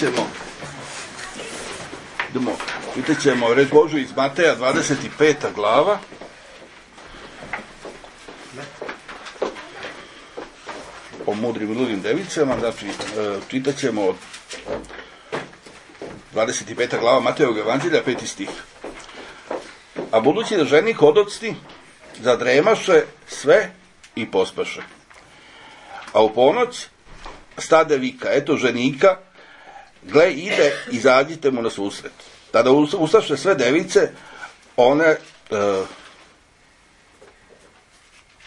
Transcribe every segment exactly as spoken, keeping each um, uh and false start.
ćemo, idemo, čitat ćemo reč Božju iz Mateja, dvadeset peta glava. O mudrim i ludim devicama, znači, čitat ćemo od dvadeset peta glava Matejevog evanđelja, peti stih. A budući da ženik odocni, zadremaše sve i pospaše. A u ponoć stade vika, eto ženika, gle ide, izađite mu na susret. Tada ustaše sve device, one uh,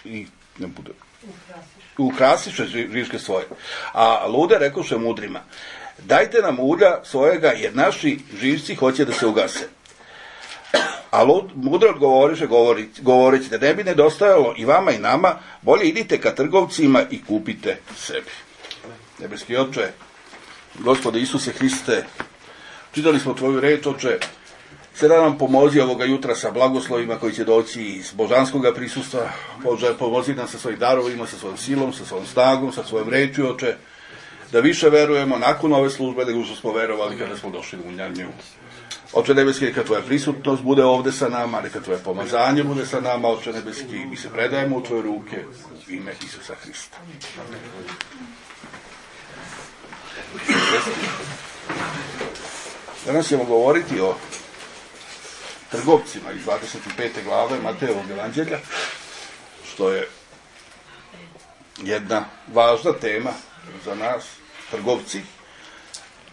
i ne bude ukrasiše žiške svoje. A lude rekoše mudrima, dajte nam ulja svojega, jer naši živci hoće da se ugase. A lud, mudro odgovoriše govoreći da ne bi nedostajalo i vama i nama, bolje idite ka trgovcima i kupite sebi. Nebeski Oče, Gospode Isuse Hriste, čitali smo tvoju reč, Oče, sada nam pomozi ovoga jutra sa blagoslovima koji će doći iz božanskog prisustva. Bože, pomozi nam sa svojim darovima, sa svojom silom, sa svojom snagom, sa svojom rečju, Oče, da više verujemo nakon ove službe nego što smo verovali kada smo došli u nju. Oče nebeski, neka tvoja prisutnost bude ovde sa nama, neka tvoje pomazanje bude sa nama, Oče nebeski, mi se predajemo u tvoje ruke u ime Isusa Hrista. Danas ćemo govoriti o trgovcima iz dvadeset pete glave Matejevog evanđelja, što je jedna važna tema za nas, trgovci.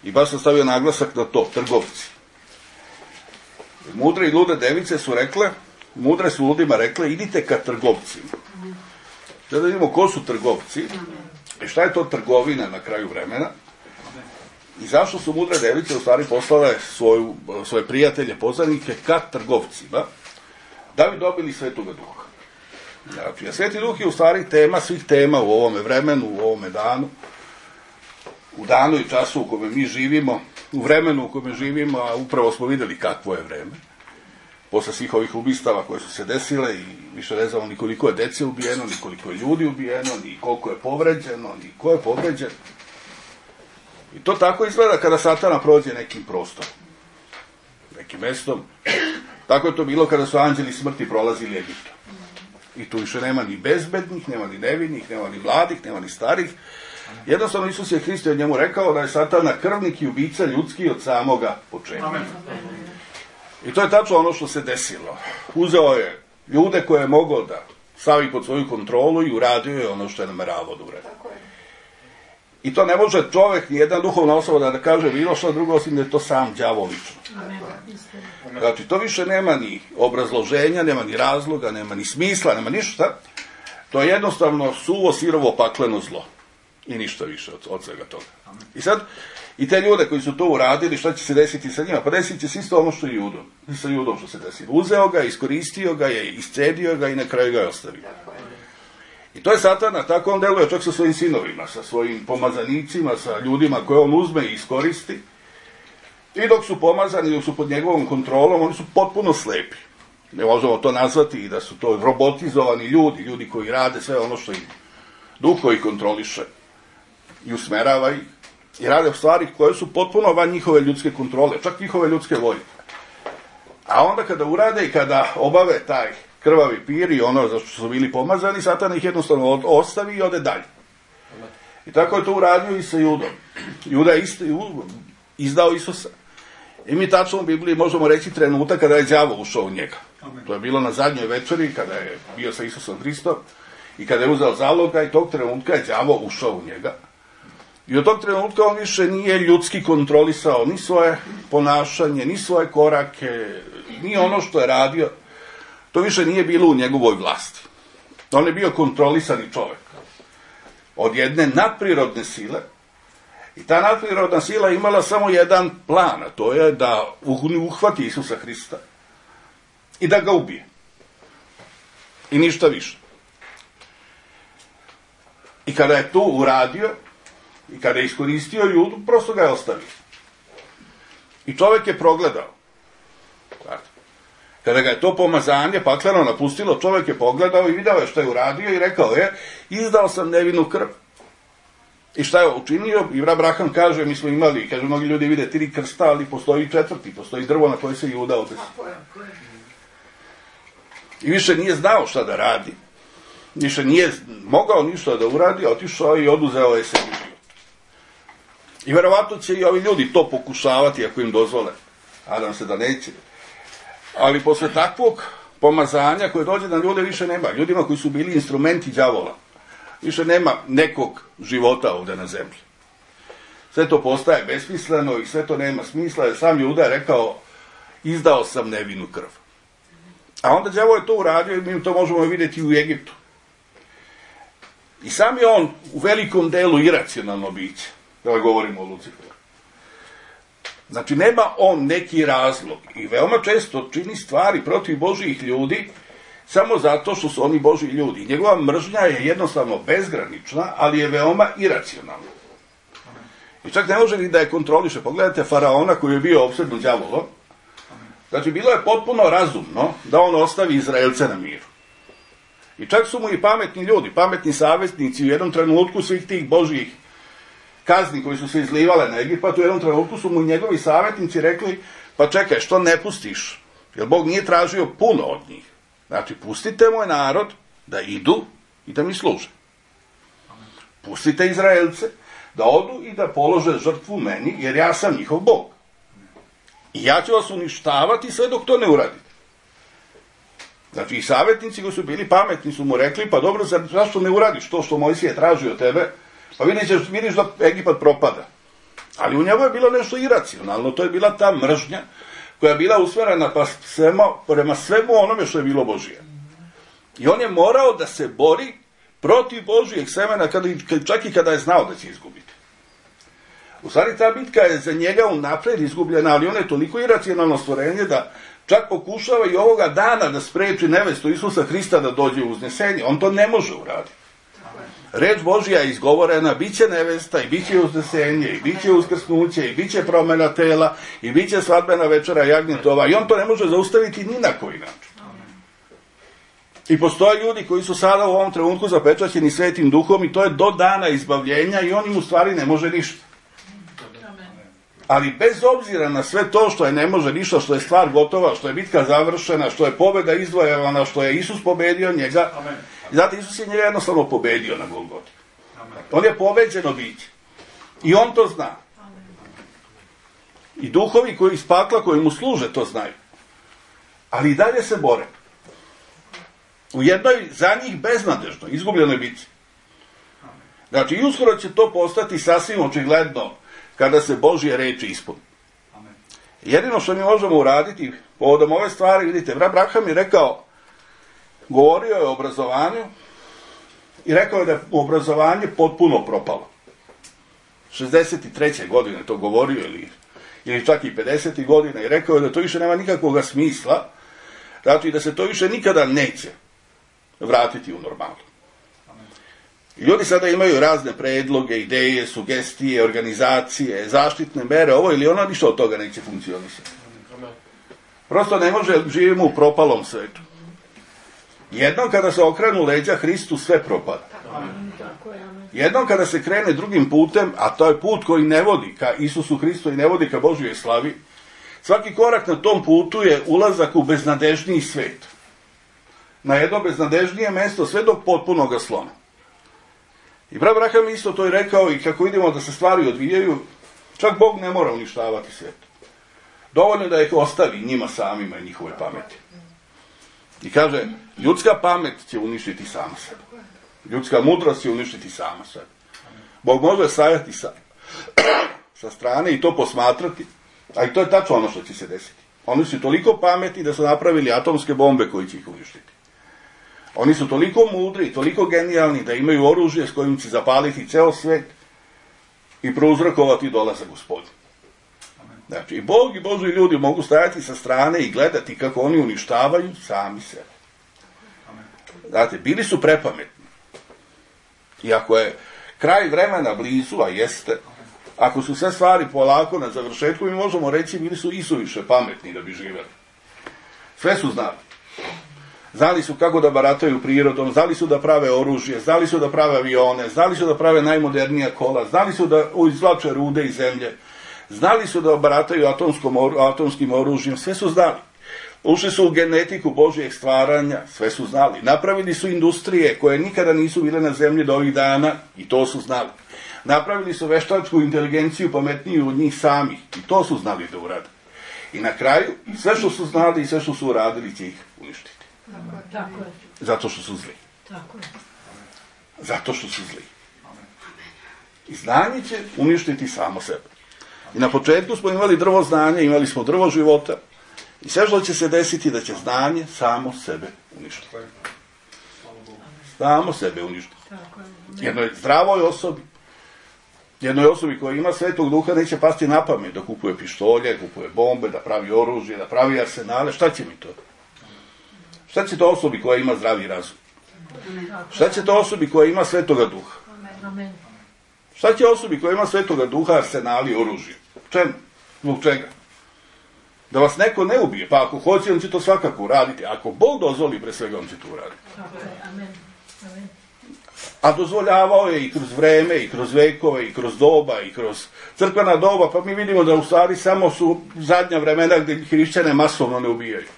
I baš sam stavio naglasak na to, trgovci. Mudre i lude device su rekle, mudre su ludima rekle, idite ka trgovcima. Sada vidimo ko su trgovci i šta je to trgovina na kraju vremena i zašto su mudre device u stvari poslale svoju, svoje prijatelje, poznanike ka trgovcima, da bi dobili Svetoga Duha. Znači, a Sveti Duh je u stvari tema svih tema u ovome vremenu, u ovome danu, u danu i času u kome mi živimo, u vremenu u kome živimo, a upravo smo videli kakvo je vreme. Posle svih ovih ubistava koje su se desile i više ne znamo ni koliko je dece ubijeno, ni koliko je ljudi ubijeno, ni koliko je povređeno, ni ko je povređen. I to tako izgleda kada Satana prođe nekim prostorom, nekim mestom. Tako je to bilo kada su anđeli smrti prolazili Egiptom. I tu više nema ni bezbednih, nema ni nevinih, nema ni mladih, nema ni starih. Jednostavno Isus je Hrist od njemu rekao da je Satana krvnik i ubica ljudski od samoga početka. Amen. I to je tačno ono što se desilo. Uzeo je ljude koje je mogao da stavi pod svoju kontrolu i uradio je ono što je nameravao da uradi. I to ne može čovek, ni jedna duhovna osoba da, da kaže bilo što drugo, osim da je to sam đavo lično. Znači, to više nema ni obrazloženja, nema ni razloga, nema ni smisla, nema ništa. To je jednostavno suvo, sirovo, pakleno zlo. I ništa više od, od svega toga. I sad, i te ljude koji su to uradili, šta će se desiti sa njima? Pa desit će se isto ono što je Judom. I sa Judom što se desilo. Uzeo ga, iskoristio ga je, iscedio ga i na kraju ga je ostavio. I to je Satana, tako on deluje čak sa svojim sinovima, sa svojim pomazanicima, sa ljudima koje on uzme i iskoristi. I dok su pomazani, dok su pod njegovom kontrolom, oni su potpuno slepi. Ne možemo to nazvati i da su to robotizovani ljudi, ljudi koji rade sve ono što im duh koji kontroliše i usmerava ih i rade stvari koje su potpuno van njihove ljudske kontrole, čak njihove ljudske volje. A onda kada urade i kada obave taj krvavi pir i ono za što su bili pomazani, Satan ih jednostavno ostavi i ode dalje. I tako je to uradio i sa Judom. Juda je izdao Isusa. I mi tačno u Bibliji možemo reći trenutak kada je đavo ušao u njega. To je bilo na zadnjoj večeri kada je bio sa Isusom Hristom i kada je uzeo zaloga i tog trenutka je đavo ušao u njega. I od tog trenutka on više nije ljudski kontrolisao ni svoje ponašanje, ni svoje korake, ni ono što je radio. To više nije bilo u njegovoj vlasti. On je bio kontrolisani čovek od jedne nadprirodne sile. I ta nadprirodna sila imala samo jedan plan, a to je da uhvati Isusa Hrista i da ga ubije. I ništa više. I kada je to uradio, i kada je iskoristio Judu, prosto ga je ostavio. I čovek je progledao. Kada ga je to pomazanje pakleno napustilo, čovek je pogledao i video je što je uradio i rekao je, izdao sam nevinu krv. I šta je učinio? I Abraham kaže, mi smo imali, kaže, mnogi ljudi vide tri krsta, ali postoji četvrti, postoji drvo na koje se Juda odesi. I više nije znao šta da radi. Više nije mogao ništa da uradi, otišao i oduzeo je sebi život. I verovatno će i ovi ljudi to pokušavati ako im dozvole. Nadam se da neće. Ali posle takvog pomazanja koje dođe na ljude više nema. Ljudima koji su bili instrumenti đavola. Više nema nekog života ovde na zemlji. Sve to postaje besmisleno i sve to nema smisla. Jer sam Juda je rekao, izdao sam nevinu krv. A onda đavo je to uradio i mi to možemo vidjeti u Egiptu. I sam je on u velikom delu iracionalno biće. Da govorimo o Luciferu. Znači, nema on neki razlog i veoma često čini stvari protiv Božijih ljudi samo zato što su oni Božji ljudi. Njegova mržnja je jednostavno bezgranična, ali je veoma iracionalna. I čak ne može ni da je kontroliše. Pogledajte Faraona koji je bio opsednut đavolom. Znači, bilo je potpuno razumno da on ostavi Izraelce na miru. I čak su mu i pametni ljudi, pametni savjetnici u jednom trenutku svih tih Božjih kazni koji su se izlivale na Egipat, u jednom trenutku su mu njegovi savjetnici rekli, pa čekaj, što ne pustiš? Jer Bog nije tražio puno od njih. Znači, pustite moj narod da idu i da mi služe. Pustite Izraelce da odu i da polože žrtvu meni, jer ja sam njihov Bog. I ja ću vas uništavati sve dok to ne uradite. Znači, i savjetnici koji su bili pametni su mu rekli, pa dobro, zašto ne uradiš to što Mojsije traži od tebe? Pa vidiš, vidiš da Egipat propada. Ali u njemu je bilo nešto iracionalno, to je bila ta mržnja koja je bila usmerena pa svema, prema svemu onome što je bilo Božije. I on je morao da se bori protiv Božijeg semena, kada, čak i kada je znao da će izgubiti. U stvari, ta bitka je za njega unapred izgubljena, ali on je toliko iracionalno stvorenje da čak pokušava i ovoga dana da spreči nevestu Isusa Hrista da dođe u uznesenje. On to ne može uraditi. Reč Božja je izgovorena, bit će nevesta i bit će uznesenje i bit će uskrsnuće i bit će promena tela i bit će svadbena večera jagnjetova i on to ne može zaustaviti ni na koji način. I postoje ljudi koji su sada u ovom trenutku zapečaćeni Svetim Duhom i to je do dana izbavljenja i on im u stvari ne može ništa. Ali bez obzira na sve to što je ne može ništa, što je stvar gotova, što je bitka završena, što je pobjeda izdvojevana, što je Isus pobedio njega, amen. I zato Isus je njega jednostavno pobedio na Golgoti. On je pobeđeno biće. I on to zna. Amen. I duhovi koji iz pakla, koji mu služe, to znaju. Ali i dalje se bore. U jednoj za njih beznadežnoj, izgubljenoj bici. Znači, i uskoro će to postati sasvim očigledno kada se Božje reči ispuni. Jedino što mi možemo uraditi povodom ove stvari, vidite, Abraham je rekao, govorio je o obrazovanju i rekao je da je obrazovanje potpuno propalo. šezdeset treće godine to govorio ili, ili čak i pedeset godine i rekao je da to više nema nikakvog smisla, znači da se to više nikada neće vratiti u normalu. I ljudi sada imaju razne predloge, ideje, sugestije, organizacije, zaštitne mere, ovo ili ono, ništa od toga neće funkcionisati. Prosto ne može, živimo u propalom svetu. Jednom kada se okrenu leđa Hristu, sve propada. Jednom kada se krene drugim putem, a to je put koji ne vodi ka Isusu Hristu i ne vodi ka Božjoj slavi, svaki korak na tom putu je ulazak u beznadežniji svet. Na jedno beznadežnije mesto, sve do potpunog sloma. I Abraham isto to je rekao i kako vidimo da se stvari odvijaju, čak Bog ne mora uništavati svijet. Dovoljno da ih ostavi njima samima i njihove pameti. I kaže, ljudska pamet će uništiti sama sebe. Ljudska mudrost će uništiti sama sebe. Bog može stajati sa, sa strane i to posmatrati, a i to je tačno ono što će se desiti. Oni su toliko pametni da su napravili atomske bombe koji će ih uništiti. Oni su toliko mudri i toliko genijalni da imaju oružje s kojim će zapaliti ceo svet i prouzrokovati dolazak Gospodin. Znači, i Bog i Božji ljudi mogu stajati sa strane i gledati kako oni uništavaju sami sebe. Znate, bili su prepametni. I ako je kraj vremena blizu, a jeste, ako su sve stvari polako na završetku, mi možemo reći bili su isuviše pametni da bi živjeli. Sve su znali. Znali su kako da barataju prirodom, znali su da prave oružje, znali su da prave avione, znali su da prave najmodernija kola, znali su da izvlače rude iz zemlje, znali su da barataju atomskom, atomskim oružjem, sve su znali. Ušli su u genetiku Božjeg stvaranja, sve su znali. Napravili su industrije koje nikada nisu bile na zemlji do ovih dana, i to su znali. Napravili su veštačku inteligenciju pametniju od njih samih, i to su znali da urade. I na kraju, sve što su znali i sve što su uradili će ih uništiti. Tako je. Zato što su zli. Tako je. Zato što su zli. I znanje će uništiti samo sebe. I na početku smo imali drvo znanja, imali smo drvo života, i sve što će se desiti da će znanje samo sebe uništiti. Samo sebe uništiti. Jednoj zdravoj osobi, jednoj osobi koja ima Svetog Duha neće pasti na pamet da kupuje pištolje, kupuje bombe, da pravi oružje, da pravi arsenale. Šta će mi to? Šta će to osobi koja ima zdravi razum? Šta će to osobi koja ima Svetoga Duha? Šta će osobi koja ima Svetoga Duha, arsenali, oružje? Čemu? Zbog čega? Da vas neko ne ubije, pa ako hoće, on će to svakako uraditi. Ako Bog dozvoli, pre svega, on će to uraditi. A dozvoljavao je i kroz vreme, i kroz vekove, i kroz doba, i kroz crkvena doba, pa mi vidimo da u stvari samo su zadnja vremena gdje hrišćane masovno ne ubijaju.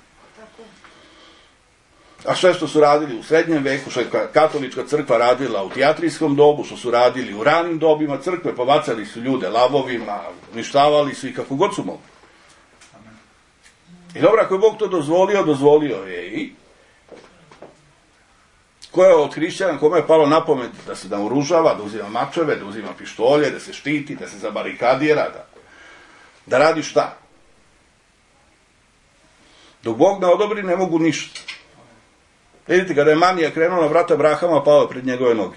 A sve što su radili u srednjem veku, što je katolička crkva radila u tijatrijskom dobu, što su radili u ranim dobima crkve, pobacali su ljude lavovima, uništavali su i kako god su mogli. I dobro, ako je Bog to dozvolio, dozvolio je i ko je od hrišćana, kome je palo na pamet da se naoružava, da uzima mačeve, da uzima pištolje, da se štiti, da se zabarikadira, da, da radi šta? Dok Bog ne odobri, ne mogu ništa. Vidite, kada je manija krenuo na vrata Abrahama, pao je pred njegove noge.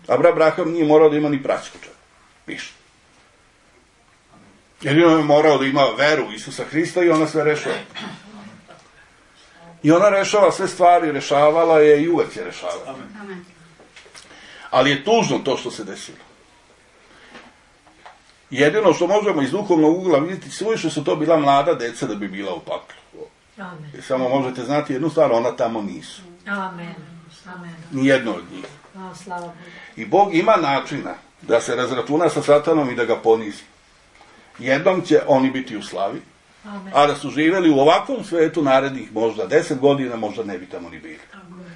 Abraham nije morao da ima ni praćku čak. Ništa. Jedino je morao da ima veru u Isusa Hrista i ona sve rešava. I ona rešava sve stvari, rešavala je i uvek je rešavala. Ali je tužno to što se desilo. Jedino što možemo iz duhovnog ugla vidjeti, suviše su to bila mlada deca da bi bila u paklu. I samo možete znati jednu stvar, ona tamo nisu. Amen. Amen. Nijedno od njih. A, slava Bogu. I Bog ima načina da se razračuna sa satanom i da ga ponizi. Jednom će oni biti u slavi, Amen. a da su živjeli u ovakvom svetu narednih možda deset godina, možda ne bi tamo ni bili. Amen.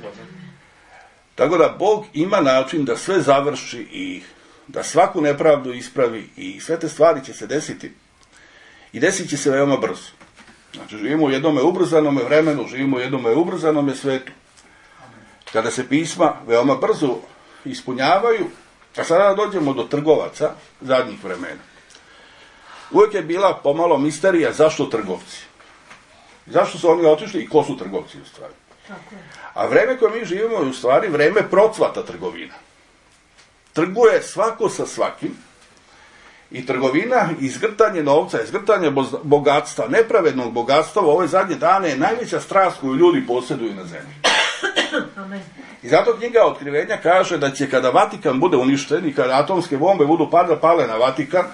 Tako da Bog ima način da sve završi i da svaku nepravdu ispravi i sve te stvari će se desiti. I desit će se veoma brzo. Znači, živimo u jednome ubrzanome vremenu, živimo u jednome ubrzanome svetu. Kada se pisma veoma brzo ispunjavaju, a sada dođemo do trgovaca zadnjih vremena. Uvijek je bila pomalo misterija zašto trgovci. Zašto su oni otišli i ko su trgovci u stvari. A vreme koje mi živimo je u stvari vreme procvata trgovina. Trguje svako sa svakim i trgovina, izgrtanje novca, izgrtanje bogatstva, nepravednog bogatstva u ove zadnje dane je najveća strast koju ljudi posjeduju na zemlji. Amen. I zato knjiga Otkrivenja kaže da će kada Vatikan bude uništen i kada atomske bombe budu pada pale na Vatikan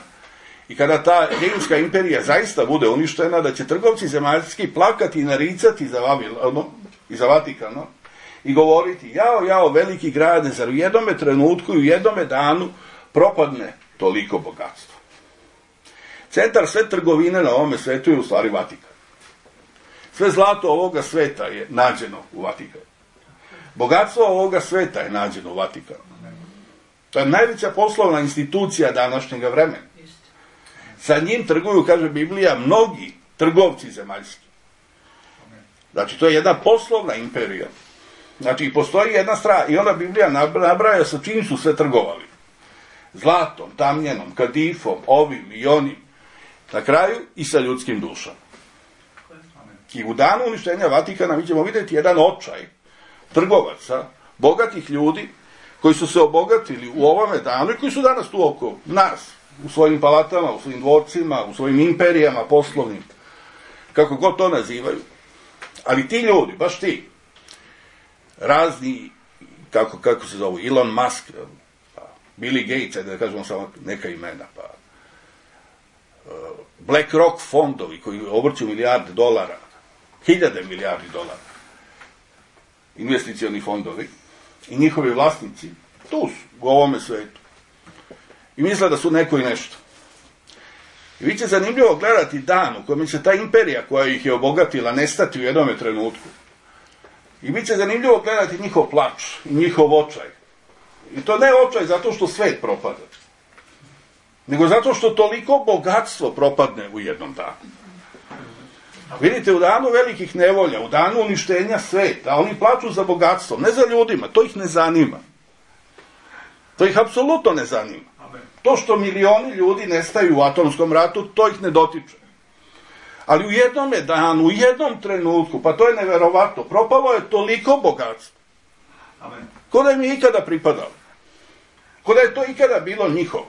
i kada ta rimska imperija zaista bude uništena, da će trgovci zemaljski plakati i naricati za Vavilonu i za Vatikano i govoriti, jao, jao, veliki grade, zar u jednome trenutku i u jednome danu propadne toliko bogatstvo. Centar sve trgovine na ovome svetu je u stvari Vatikan. Sve zlato ovoga sveta je nađeno u Vatikanu. Bogatstvo ovoga sveta je nađeno u Vatikanu. To je najveća poslovna institucija današnjega vremena. Sa njim trguju, kaže Biblija, mnogi trgovci zemaljski. Znači, to je jedna poslovna imperija. Znači, postoji jedna strana, i onda Biblija nabraja sa čim su sve trgovali. Zlatom, tamnjenom, kadifom, ovim i onim. Na kraju i sa ljudskim dušama. I u danu uništenja Vatikana mi ćemo vidjeti jedan očaj trgovaca, bogatih ljudi, koji su se obogatili u ovome danu i koji su danas tu oko nas, u svojim palatama, u svojim dvorcima, u svojim imperijama poslovnim, kako god to nazivaju. Ali ti ljudi, baš ti, razni, kako, kako se zovu, Elon Musk, pa Billy Gates, da kažemo samo neka imena, pa BlackRock fondovi koji obrću milijarde dolara, hiljade milijardi dolara, investicioni fondovi i njihovi vlasnici, tu su, u ovome svetu. I misle da su neko i nešto. I vi će zanimljivo gledati dan u kojem će ta imperija koja ih je obogatila nestati u jednome trenutku. I bit će zanimljivo gledati njihov plač i njihov očaj. I to ne očaj zato što svet propada, nego zato što toliko bogatstvo propadne u jednom danu. Vidite, u danu velikih nevolja, u danu uništenja sveta, oni plaču za bogatstvo, ne za ljudima, to ih ne zanima. To ih apsolutno ne zanima. To što milioni ljudi nestaju u atomskom ratu, to ih ne dotiče. Ali u jednom danu, u jednom trenutku, pa to je neverovatno, propalo je toliko bogatstvo. Amen. Ko da im je ikada pripadalo. Ko da je to ikada bilo njihovo.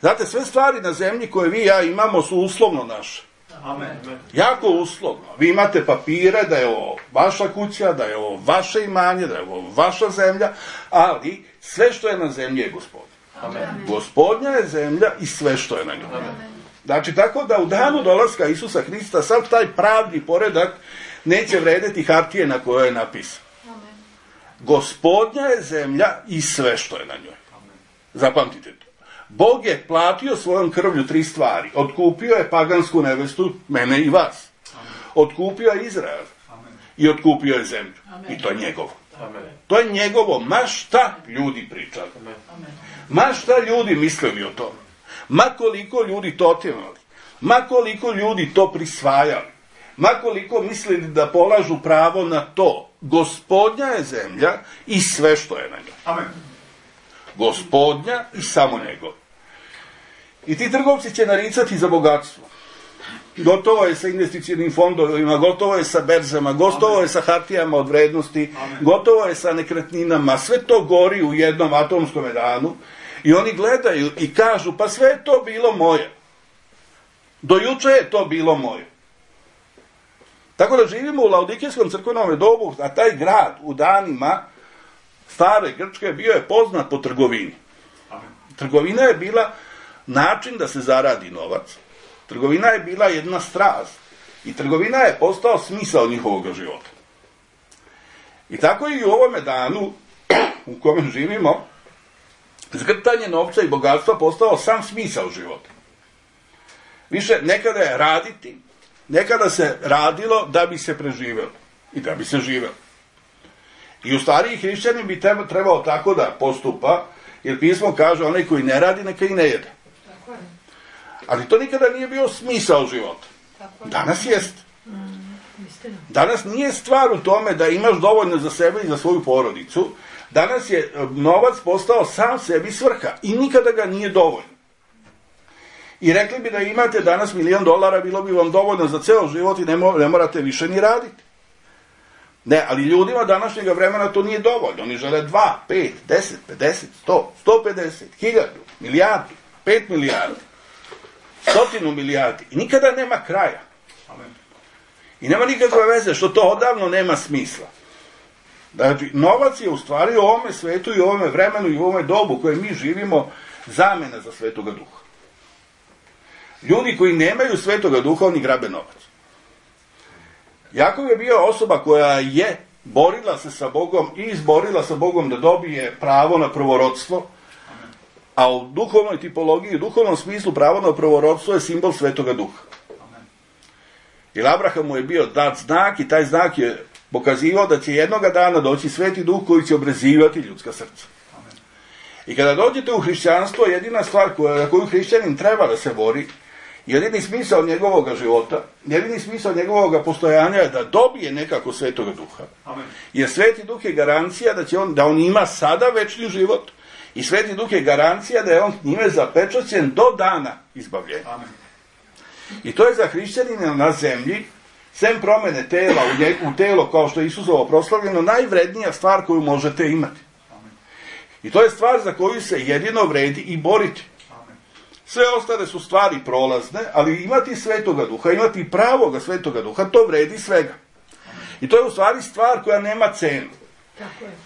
Znate, sve stvari na zemlji koje vi i ja imamo su uslovno naše. Amen. Jako uslovno. Vi imate papire da je ovo vaša kuća, da je ovo vaše imanje, da je ovo vaša zemlja, ali sve što je na zemlji je Gospodin. Amen. Gospodnja je zemlja i sve što je na njoj. Znači, tako da u danu dolaska Isusa Hrista sav taj pravni poredak neće vredeti hartije na kojoj je napisan. Gospodnja je zemlja i sve što je na njoj. Zapamtite to. Bog je platio svojom krvlju tri stvari. Otkupio je pagansku nevestu, mene i vas. Otkupio je Izrael. I otkupio je zemlju. I to je njegovo. To je njegovo. Ma šta ljudi pričali. Ma šta ljudi mislili o tome. Ma koliko ljudi to otimali. Ma koliko ljudi to prisvajali. Ma koliko mislili da polažu pravo na to. Gospodnja je zemlja i sve što je na njoj. Amen. Gospodnja i samo njegov. I ti trgovci će naricati za bogatstvo. Gotovo je sa investicionim fondovima, gotovo je sa berzama, gotovo je sa hartijama od vrednosti, Amen. Gotovo je sa nekretninama, sve to gori u jednom atomskom danu i oni gledaju i kažu, pa sve je to bilo moje. Do juče je to bilo moje. Tako da živimo u Laodikijskom crkvenom dobu, a taj grad u danima stare Grčke bio je poznat po trgovini. Amen. Trgovina je bila način da se zaradi novac. Trgovina je bila jedna strast. I trgovina je postao smisao njihovog života. I tako i u ovome danu u kome živimo, zgrtanje novca i bogatstva postao sam smisao života. Više nekada je raditi, nekada se radilo da bi se preživelo i da bi se živelo. I u stvari hrišćanin bi trebao tako da postupa, jer pismo kaže onaj koji ne radi neka i ne jede. Ali to nikada nije bio smisao života. Danas jest. Danas nije stvar u tome da imaš dovoljno za sebe i za svoju porodicu. Danas je novac postao sam sebi svrha i nikada ga nije dovoljno. I rekli bi da imate danas milion dolara, bilo bi vam dovoljno za ceo život i ne, mo- ne morate više ni raditi. Ne, ali ljudima današnjega vremena to nije dovoljno. Oni žele dva, pet, deset, pedeset, sto, sto pedeset, hiljadu, milijardu, pet milijardi, stotinu milijardi. I nikada nema kraja. Amen. I nema nikakve veze što to odavno nema smisla. Znači, novac je u stvari u ovome svetu i u ovome vremenu i u ovome dobu koje mi živimo zamena za Svetoga Duha. Ljudi koji nemaju Svetoga Duha, oni grabe novac. Jakov je bio osoba koja je borila se sa Bogom i izborila sa Bogom da dobije pravo na prvorodstvo, a u duhovnoj tipologiji, u duhovnom smislu pravo na prvorodstvo je simbol Svetoga Duha. Jer Abrahamu je bio dat znak i taj znak je pokazivao da će jednoga dana doći Sveti Duh koji će obrezivati ljudska srca. I kada dođete u hrišćanstvo, jedina stvar koja, na koju hrišćanin treba da se bori, jedini smisao njegovog života, jedini smisao njegovog postojanja je da dobije nekako Svetoga Duha. Amen. Jer Sveti Duh je garancija da će on, da on ima sada večni život i Sveti Duh je garancija da je on njime zapečaćen do dana izbavljenja. Amen. I to je za hrišćanina na zemlji, sem promene tela u, nje, u telo kao što je Isusovo proslavljeno, najvrednija stvar koju možete imati. Amen. I to je stvar za koju se jedino vredi i boriti. Amen. Sve ostale su stvari prolazne, ali imati Svetoga Duha, imati pravoga Svetoga Duha, to vredi svega. I to je u stvari stvar koja nema cenu.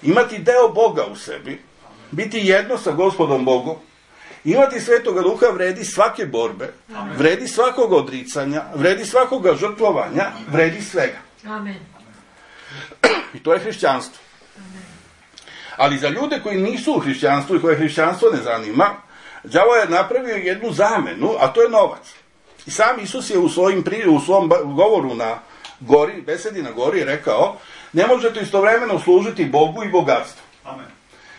Imati deo Boga u sebi, biti jedno sa Gospodom Bogom, imati Svetoga Duha vredi svake borbe, Amen. Vredi svakog odricanja, vredi svakoga žrtvovanja, vredi svega. Amen. I to je hrišćanstvo. Ali za ljude koji nisu u hrišćanstvu i koje hrišćanstvo ne zanima, đavo je napravio jednu zamenu, a to je novac. I sam Isus je u, svojim, u svom govoru na gori, besedi na gori, rekao, ne možete istovremeno služiti Bogu i bogatstvu. Amen.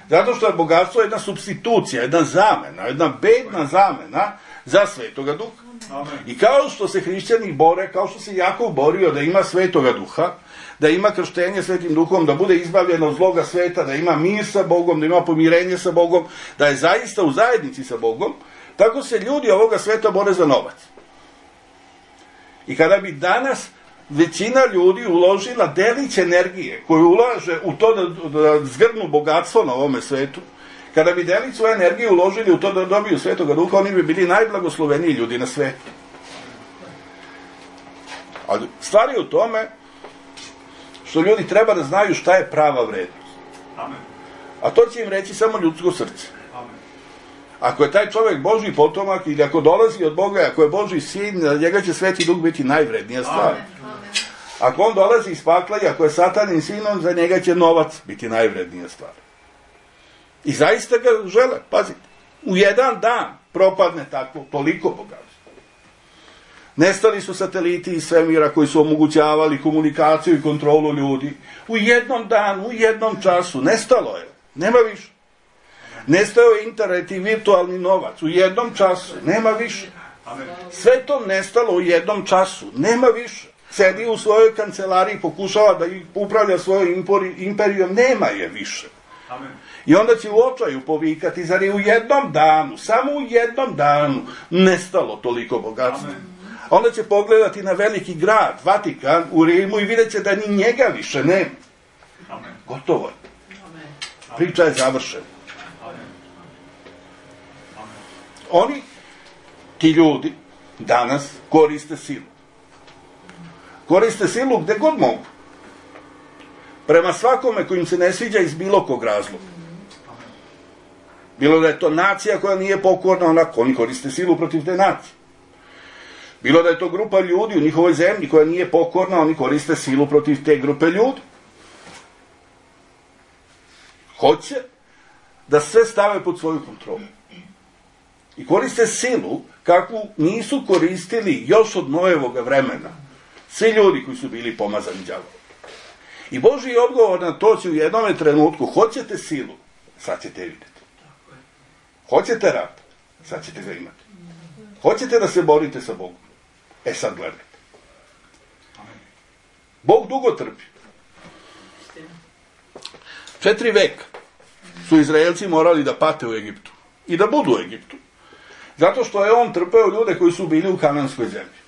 Zato što je bogatstvo jedna supstitucija, jedna zamena, jedna bedna zamena za Svetoga Duha. Amen. I kao što se hrišćani bore, kao što se Jakov borio da ima Svetoga Duha, da ima krštenje Svetim Duhom, da bude izbavljen od zloga sveta, da ima mir sa Bogom, da ima pomirenje sa Bogom, da je zaista u zajednici sa Bogom, tako se ljudi ovoga sveta bore za novac. I kada bi danas većina ljudi uložila delić energije koju ulaže u to da, da zgrnu bogatstvo na ovome svetu, kada bi delić svoje energije uložili u to da dobiju Svetoga Duha, oni bi bili najblagosloveniji ljudi na svetu. Ali stvar je u tome što ljudi treba da znaju šta je prava vrednost. Amen. A to će im reći samo ljudsko srce. Amen. Ako je taj čovjek Božji potomak ili ako dolazi od Boga, ako je Božji sin, za njega će Sveti Duh biti najvrednija stvar. Amen. Ako on dolazi iz pakla i ako je Satanin sinom, za njega će novac biti najvrednija stvar. I zaista ga žele, pazite, u jedan dan propadne tako, toliko bogatstvo. Nestali su sateliti iz svemira koji su omogućavali komunikaciju i kontrolu ljudi. U jednom danu, u jednom času, nestalo je, nema više. Nestao je internet i virtualni novac, u jednom času, nema više. Sve to nestalo u jednom času, nema više. Sedi u svojoj kancelariji, pokušava da upravlja svojom imperijom, nema je više. Amen. I onda će u očaju povikati, zar je u jednom danu, samo u jednom danu, nestalo toliko bogatstva. Amen. Onda će pogledati na veliki grad, Vatikan, u Rimu i vidjet će da ni njega više nema. Amen. Gotovo je. Priča je završena. Amen. Amen. Oni, ti ljudi, danas koriste silu. Koriste silu gde god mogu. Prema svakome kojim se ne sviđa iz bilo kog razloga. Bilo da je to nacija koja nije pokorna, onako, oni koriste silu protiv te nacije. Bilo da je to grupa ljudi u njihovoj zemlji koja nije pokorna, oni koriste silu protiv te grupe ljudi. Hoće da sve stave pod svoju kontrolu. I koriste silu kakvu nisu koristili još od Nojevoga vremena svi ljudi koji su bili pomazani đavolom. I Božji odgovor na to će u jednom trenutku, hoćete silu, sad ćete vidjeti. Hoćete rat, sad ćete ga imati. Hoćete da se borite sa Bogom, e sad gledajte. Bog dugo trpi. Četiri veka su Izraelci morali da pate u Egiptu i da budu u Egiptu. Zato što je on trpeo ljude koji su bili u kananskoj zemlji.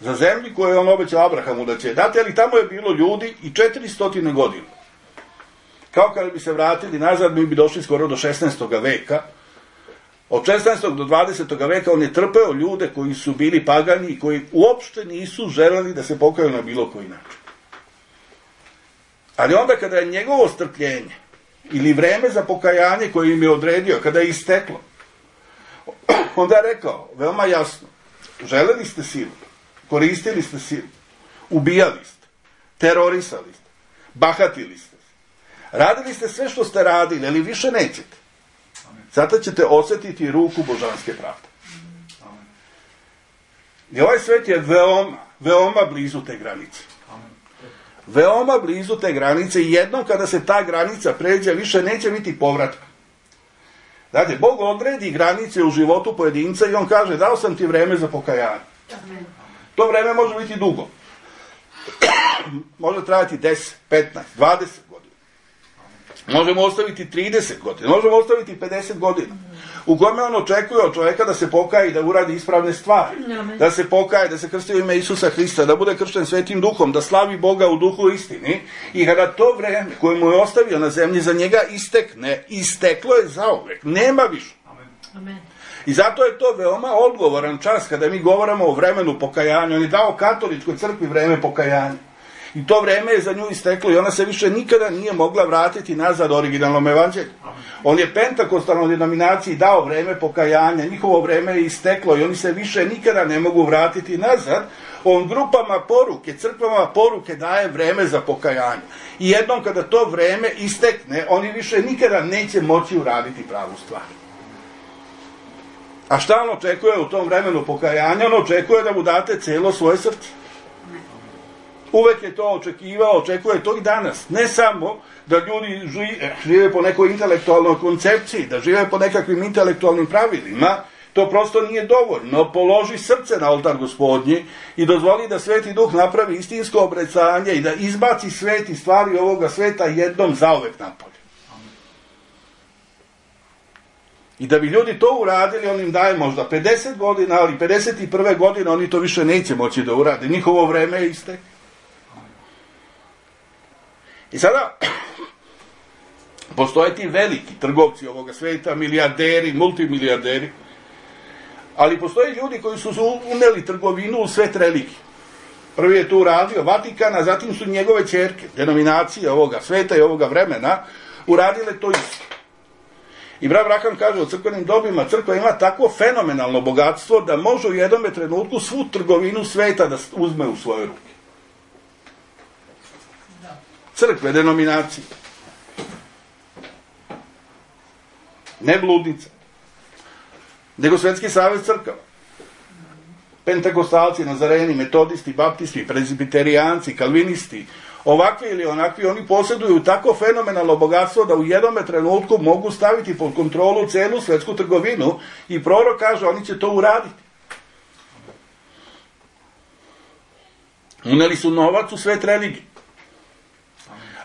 Za zemlji koju je on obećao Abrahamu da će dati, ali tamo je bilo ljudi i četiristo godina. Kao kada bi se vratili nazad, mi bi došli skoro do šesnaestog veka. Od šesnaestog do dvadesetog veka on je trpeo ljude koji su bili pagani i koji uopšte nisu želeli da se pokaju na bilo koji način. Ali onda kada je njegovo strpljenje ili vreme za pokajanje koje im je odredio, kada je isteklo, onda je rekao, veoma jasno, želeli ste silu, koristili ste silu, ubijali ste, terorisali ste, bahatili ste, radili ste sve što ste radili, ali više nećete. Zato ćete osjetiti ruku božanske pravde. I ovaj svet je veoma, veoma blizu te granice. Veoma blizu te granice i jednom kada se ta granica pređe, više neće biti povratka. Dakle, Bog odredi granice u životu pojedinca i on kaže, dao sam ti vreme za pokajanje. To vreme može biti dugo. Može trajati deset, petnaest, dvadeset godina. Možemo ostaviti trideset godina, možemo ostaviti pedeset godina. U kome on očekuje od čovjeka da se pokaje i da uradi ispravne stvari. Da se pokaje, da se krsti u ime Isusa Hrista, da bude kršten Svetim Duhom, da slavi Boga u duhu istini. I kada to vreme koje mu je ostavio na zemlji za njega istekne, isteklo je zauvek. Nema više. Amen. I zato je to veoma odgovoran čas kada mi govorimo o vremenu pokajanja. On je dao katoličkoj crkvi vreme pokajanja. I to vreme je za nju isteklo i ona se više nikada nije mogla vratiti nazad originalnom evanđelju. On je pentakostalnoj denominaciji dao vreme pokajanja, njihovo vreme je isteklo i oni se više nikada ne mogu vratiti nazad. On grupama poruke, crkvama poruke daje vreme za pokajanje. I jednom kada to vreme istekne, oni više nikada neće moći uraditi pravu stvar. A šta on očekuje u tom vremenu pokajanja? On očekuje da mu date cijelo svoje srce. Uvek je to očekivao, očekuje to i danas. Ne samo da ljudi žive, žive po nekoj intelektualnoj koncepciji, da žive po nekakvim intelektualnim pravilima, to prosto nije dovoljno. Položi srce na oltar Gospodnji i dozvoli da Sveti Duh napravi istinsko obrecanje i da izbaci svet i stvari ovoga sveta jednom zauvek napolje. I da bi ljudi to uradili, on im daje možda pedeset godina, ali pedeset prve godine oni to više neće moći da urade. Njihovo vreme je isteklo. I sada, postoje ti veliki trgovci ovoga sveta, milijarderi, multimilijarderi, ali postoje ljudi koji su uneli trgovinu u svet religije. Prvi je tu uradio Vatikan, a zatim su njegove ćerke, denominacije ovoga sveta i ovoga vremena, uradile to isto. I brat Braham kaže o crkvenim dobima, crkva ima takvo fenomenalno bogatstvo da može u jednom trenutku svu trgovinu sveta da uzme u svoje ruke. Crkve, denominacije. Ne bludnica. Nego Svetski savez crkava. Pentakostalci, nazareni, metodisti, baptisti, prezbiterijanci, kalvinisti, ovakvi ili onakvi, oni posjeduju tako fenomenalno bogatstvo da u jednom trenutku mogu staviti pod kontrolu celu svetsku trgovinu i prorok kaže oni će to uraditi. Uneli su novac u svet religije.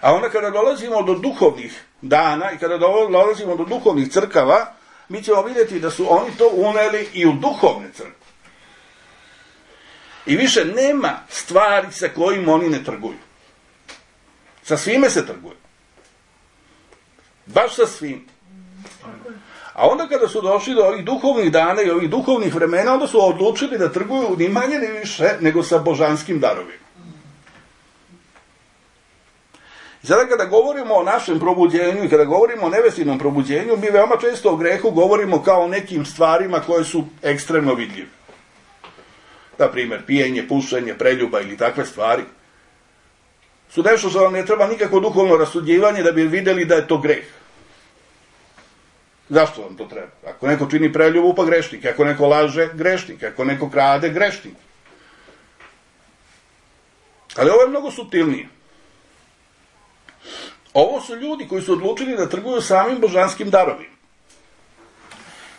A onda kada dolazimo do duhovnih dana i kada dolazimo do duhovnih crkava, mi ćemo vidjeti da su oni to uneli i u duhovne crkve. I više nema stvari sa kojim oni ne trguju. Sa svime se trguje. Baš sa svim. A onda kada su došli do ovih duhovnih dana i ovih duhovnih vremena, onda su odlučili da trguju ni manje ni više nego sa božanskim darovima. I sada kada govorimo o našem probuđenju i kada govorimo o nevestinom probuđenju, mi veoma često o grehu govorimo kao o nekim stvarima koje su ekstremno vidljive. Na primjer, pijenje, pušenje, preljuba ili takve stvari su nešto što vam ne treba nikako duhovno rasuđivanje da bi vidjeli da je to greh. Zašto vam to treba? Ako neko čini preljubu, pa grešnik. Ako neko laže, grešnik. Ako neko krade, grešnik. Ali ovo je mnogo suptilnije. Ovo su ljudi koji su odlučili da trguju samim božanskim darovima.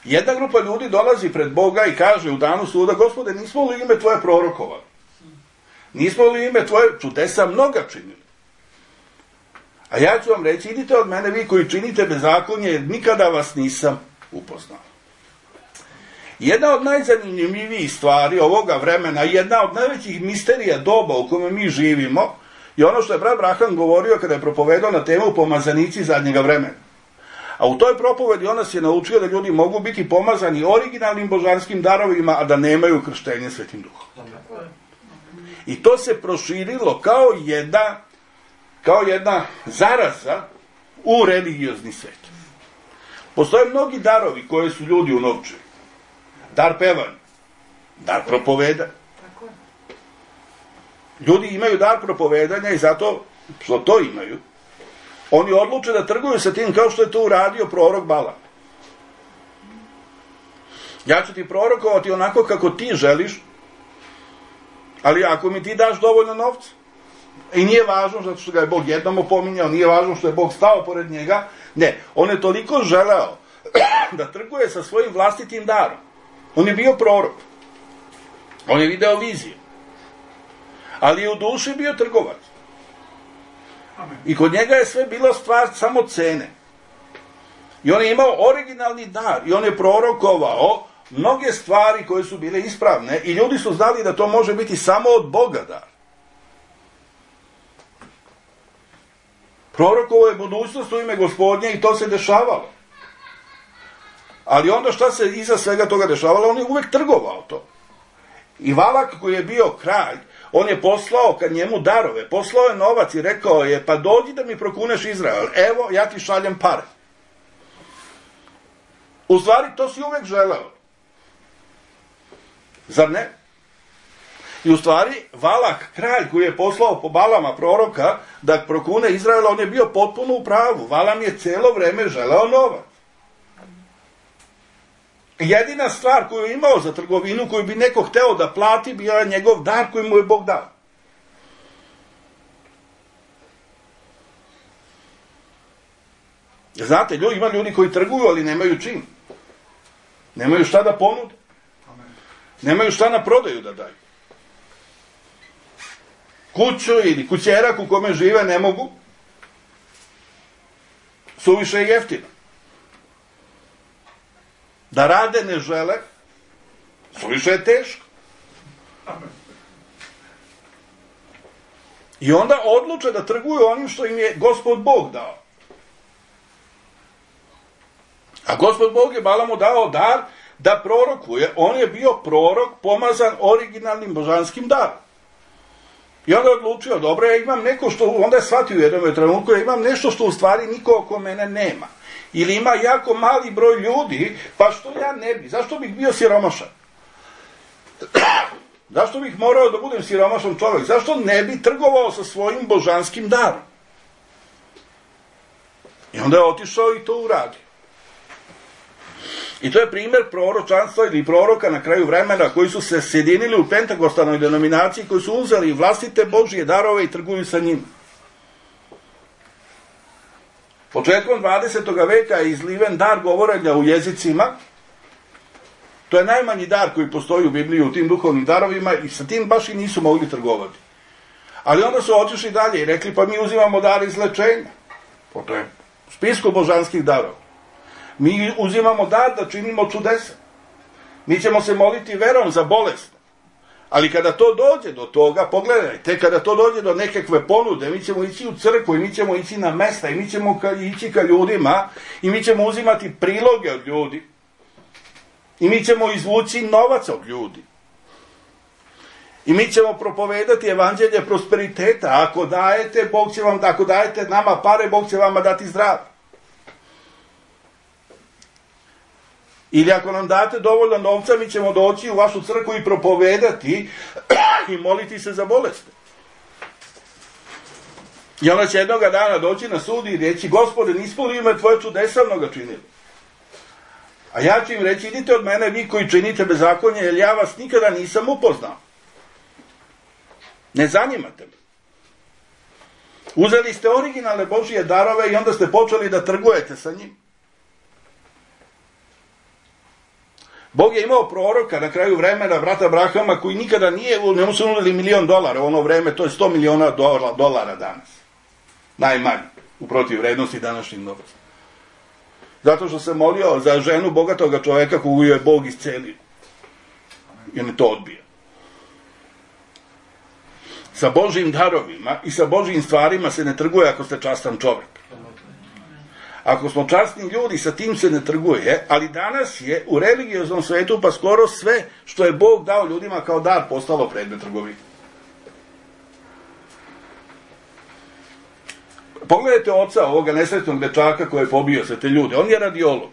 Jedna grupa ljudi dolazi pred Boga i kaže u danu suda: Gospode, nismo li ime Tvoje prorokovali? Nismo li ime Tvoje čudesa mnoga činili? A ja ću vam reći: idite od mene vi koji činite bezakonje, jer nikada vas nisam upoznao. Jedna od najzanimljivijih stvari ovoga vremena, jedna od najvećih misterija doba u kome mi živimo, je ono što je brat Braham govorio kada je propovedao na temu pomazanici zadnjega vremena. A u toj propovedi on nas je naučio da ljudi mogu biti pomazani originalnim božanskim darovima, a da nemaju krštenje Svetim Duhom. I to se proširilo kao jedna, kao jedna zaraza u religiozni svet. Postoje mnogi darovi koje su ljudi unovčili. Dar pevanja, dar propovedanja. Ljudi imaju dar propovedanja i zato što to imaju, oni odluče da trguju sa tim kao što je to uradio prorok Balam. Ja ću ti prorokovati onako kako ti želiš, ali ako mi ti daš dovoljno novca, i nije važno zato što ga je Bog jednom opominjao, nije važno što je Bog stao pored njega, ne, on je toliko želeo da trguje sa svojim vlastitim darom. On je bio prorok, on je video vizije, ali je u duši bio trgovac. I kod njega je sve bilo stvar samo cene. I on je imao originalni dar i on je prorokovao mnoge stvari koje su bile ispravne i ljudi su znali da to može biti samo od Boga dar. Prorokovao je budućnost u ime Gospodnje i to se dešavalo. Ali onda šta se iza svega toga dešavalo? On je uvek trgovao to. I Valak koji je bio kralj, on je poslao kad njemu darove, poslao je novac i rekao je, pa dođi da mi prokuneš Izrael, evo ja ti šaljem pare. U stvari to si uvek želeo. Zar ne? I u stvari Valak, kralj koji je poslao po Balama proroka da prokune Izraela, on je bio potpuno u pravu. Valam je celo vreme želeo novac. Jedina stvar koju je imao za trgovinu, koju bi neko hteo da plati, bio je njegov dar koji mu je Bog dao. Znate, ljudi, ima ljudi koji trguju, ali nemaju čim. Nemaju šta da ponude. Nemaju šta na prodaju da daju. Kuću ili kućerak u kome žive ne mogu. Suviše je jeftino. Da rade ne žele. Suviše je teško. I onda odluče da trguju onim što im je Gospod Bog dao. A Gospod Bog je Balamu dao dar da prorokuje. On je bio prorok pomazan originalnim božanskim darom. I onda je odlučio, dobro, ja imam neko što, onda je shvatio u jednom trenutku, ja imam nešto što u stvari niko oko mene nema. Ili ima jako mali broj ljudi, pa što ja ne bi, zašto bih bio siromašan? Zašto bih morao da budem siromašan čovjek? Zašto ne bi trgovao sa svojim božanskim darom? I onda je otišao i to uradio. I to je primjer proročanstva ili proroka na kraju vremena koji su se sjedinili u pentakostalnoj denominaciji, koji su uzeli vlastite Božje darove i trguju sa njima. Početkom dvadesetog veka je izliven dar govorenja u jezicima. To je najmanji dar koji postoji u Bibliji u tim duhovnim darovima i sa tim baš i nisu mogli trgovati. Ali onda su otišli dalje i rekli, pa mi uzimamo dar izlečenja. To je u spisku božanskih darova. Mi uzimamo dar da činimo čudesa. Mi ćemo se moliti verom za bolest. Ali kada to dođe do toga, pogledajte, kada to dođe do nekakve ponude, mi ćemo ići u crkvu i mi ćemo ići na mesta i mi ćemo ka, ići ka ljudima i mi ćemo uzimati priloge od ljudi i mi ćemo izvući novac od ljudi. I mi ćemo propovedati evanđelje prosperiteta. Ako dajete, Bog će vam, ako dajete nama pare, Bog će vama dati zdravlje. Ili ako nam date dovoljno novca, mi ćemo doći u vašu crkvu i propovedati i moliti se za bolesti. I ona će jednoga dana doći na sud i reći, Gospode, nismo li ime tvoje čudesa mnoga činili? A ja ću im reći, idite od mene vi koji činite bezakonje, jer ja vas nikada nisam upoznao. Ne zanimate me. Uzeli ste originalne Božije darove i onda ste počeli da trgujete sa njim. Bog je imao proroka na kraju vremena, brata Abrahama, koji nikada nije, ne mu su nudili milion dolara u ono vreme, to je sto miliona dolara danas. Najmanje, u protiv vrednosti današnjih novaca. Zato što se molio za ženu bogatoga čoveka koju je Bog iscelio. I on je to odbio. Sa Božjim darovima i sa Božjim stvarima se ne trguje ako ste častan čovek. Ako smo časni ljudi, sa tim se ne trguje, ali danas je u religioznom svetu pa skoro sve što je Bog dao ljudima kao dar postalo predmet trgovine. Pogledajte oca ovoga nesretnog dečaka koji je pobio sve te ljude. On je radiolog.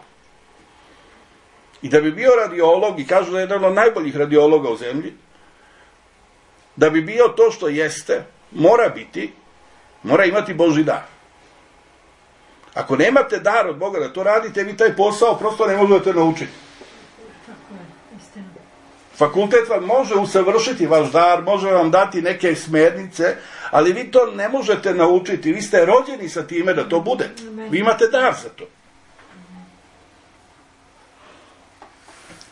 I da bi bio radiolog, i kažu da je jedan od najboljih radiologa u zemlji, da bi bio to što jeste, mora biti, mora imati Božji dar. Ako nemate dar od Boga da to radite, vi taj posao prosto ne možete naučiti. Tako je, istina. Fakultet vam može usavršiti vaš dar, može vam dati neke smernice, ali vi to ne možete naučiti. Vi ste rođeni sa time da to budete. Vi imate dar za to.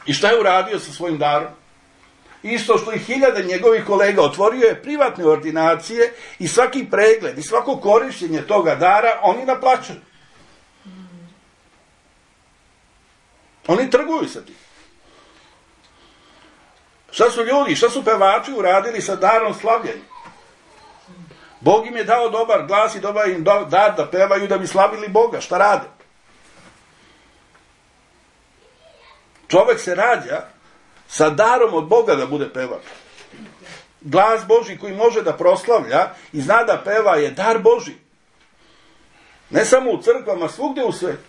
I šta je uradio sa svojim darom? Isto što i hiljade njegovih kolega, otvorio je privatne ordinacije i svaki pregled i svako korišćenje toga dara oni naplaćuju. Oni trguju sa tim. Šta su ljudi, šta su pevači uradili sa darom slavljenja? Bog im je dao dobar glas i dobar im dar da pevaju da bi slavili Boga. Šta rade? Čovek se rađa sa darom od Boga da bude pevač. Glas Božji koji može da proslavlja i zna da peva je dar Božji. Ne samo u crkvama, svugdje u svetu.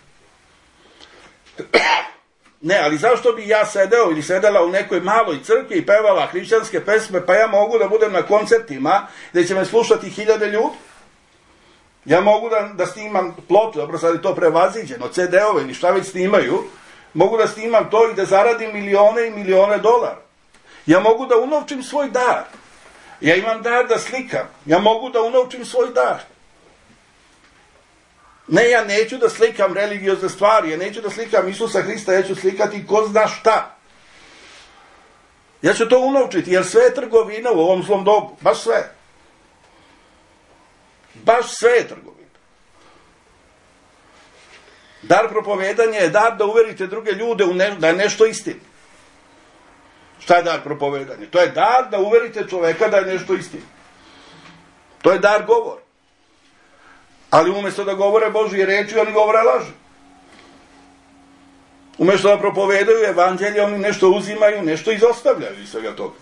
Ne, ali zašto bi ja sedeo ili sedela u nekoj maloj crkvi i pevala hrišćanske pesme, pa ja mogu da budem na koncertima gdje će me slušati hiljade ljudi? Ja mogu da, da snimam plotu, dobro sad je to prevaziđeno, ce de ove ili šta već snimaju, mogu da snimam to i da zaradim milione i milione dolara. Ja mogu da unovčim svoj dar. Ja imam dar da slikam. Ja mogu da unovčim svoj dar. Ne, ja neću da slikam religiozne stvari, ja neću da slikam Isusa Hrista, ja ću slikati ko zna šta. Ja ću to unovčiti, jer sve je trgovina u ovom zlom dobu. Baš sve. Baš sve je trgovina. Dar propovedanja je dar da uverite druge ljude u ne, da je nešto istina. Šta je dar propovedanja? To je dar da uverite čoveka da je nešto istina. To je dar govor. Ali umjesto da govore Božje reči, oni govore laži. Umjesto da propovedaju evanđelje, oni nešto uzimaju, nešto izostavljaju iz svega toga.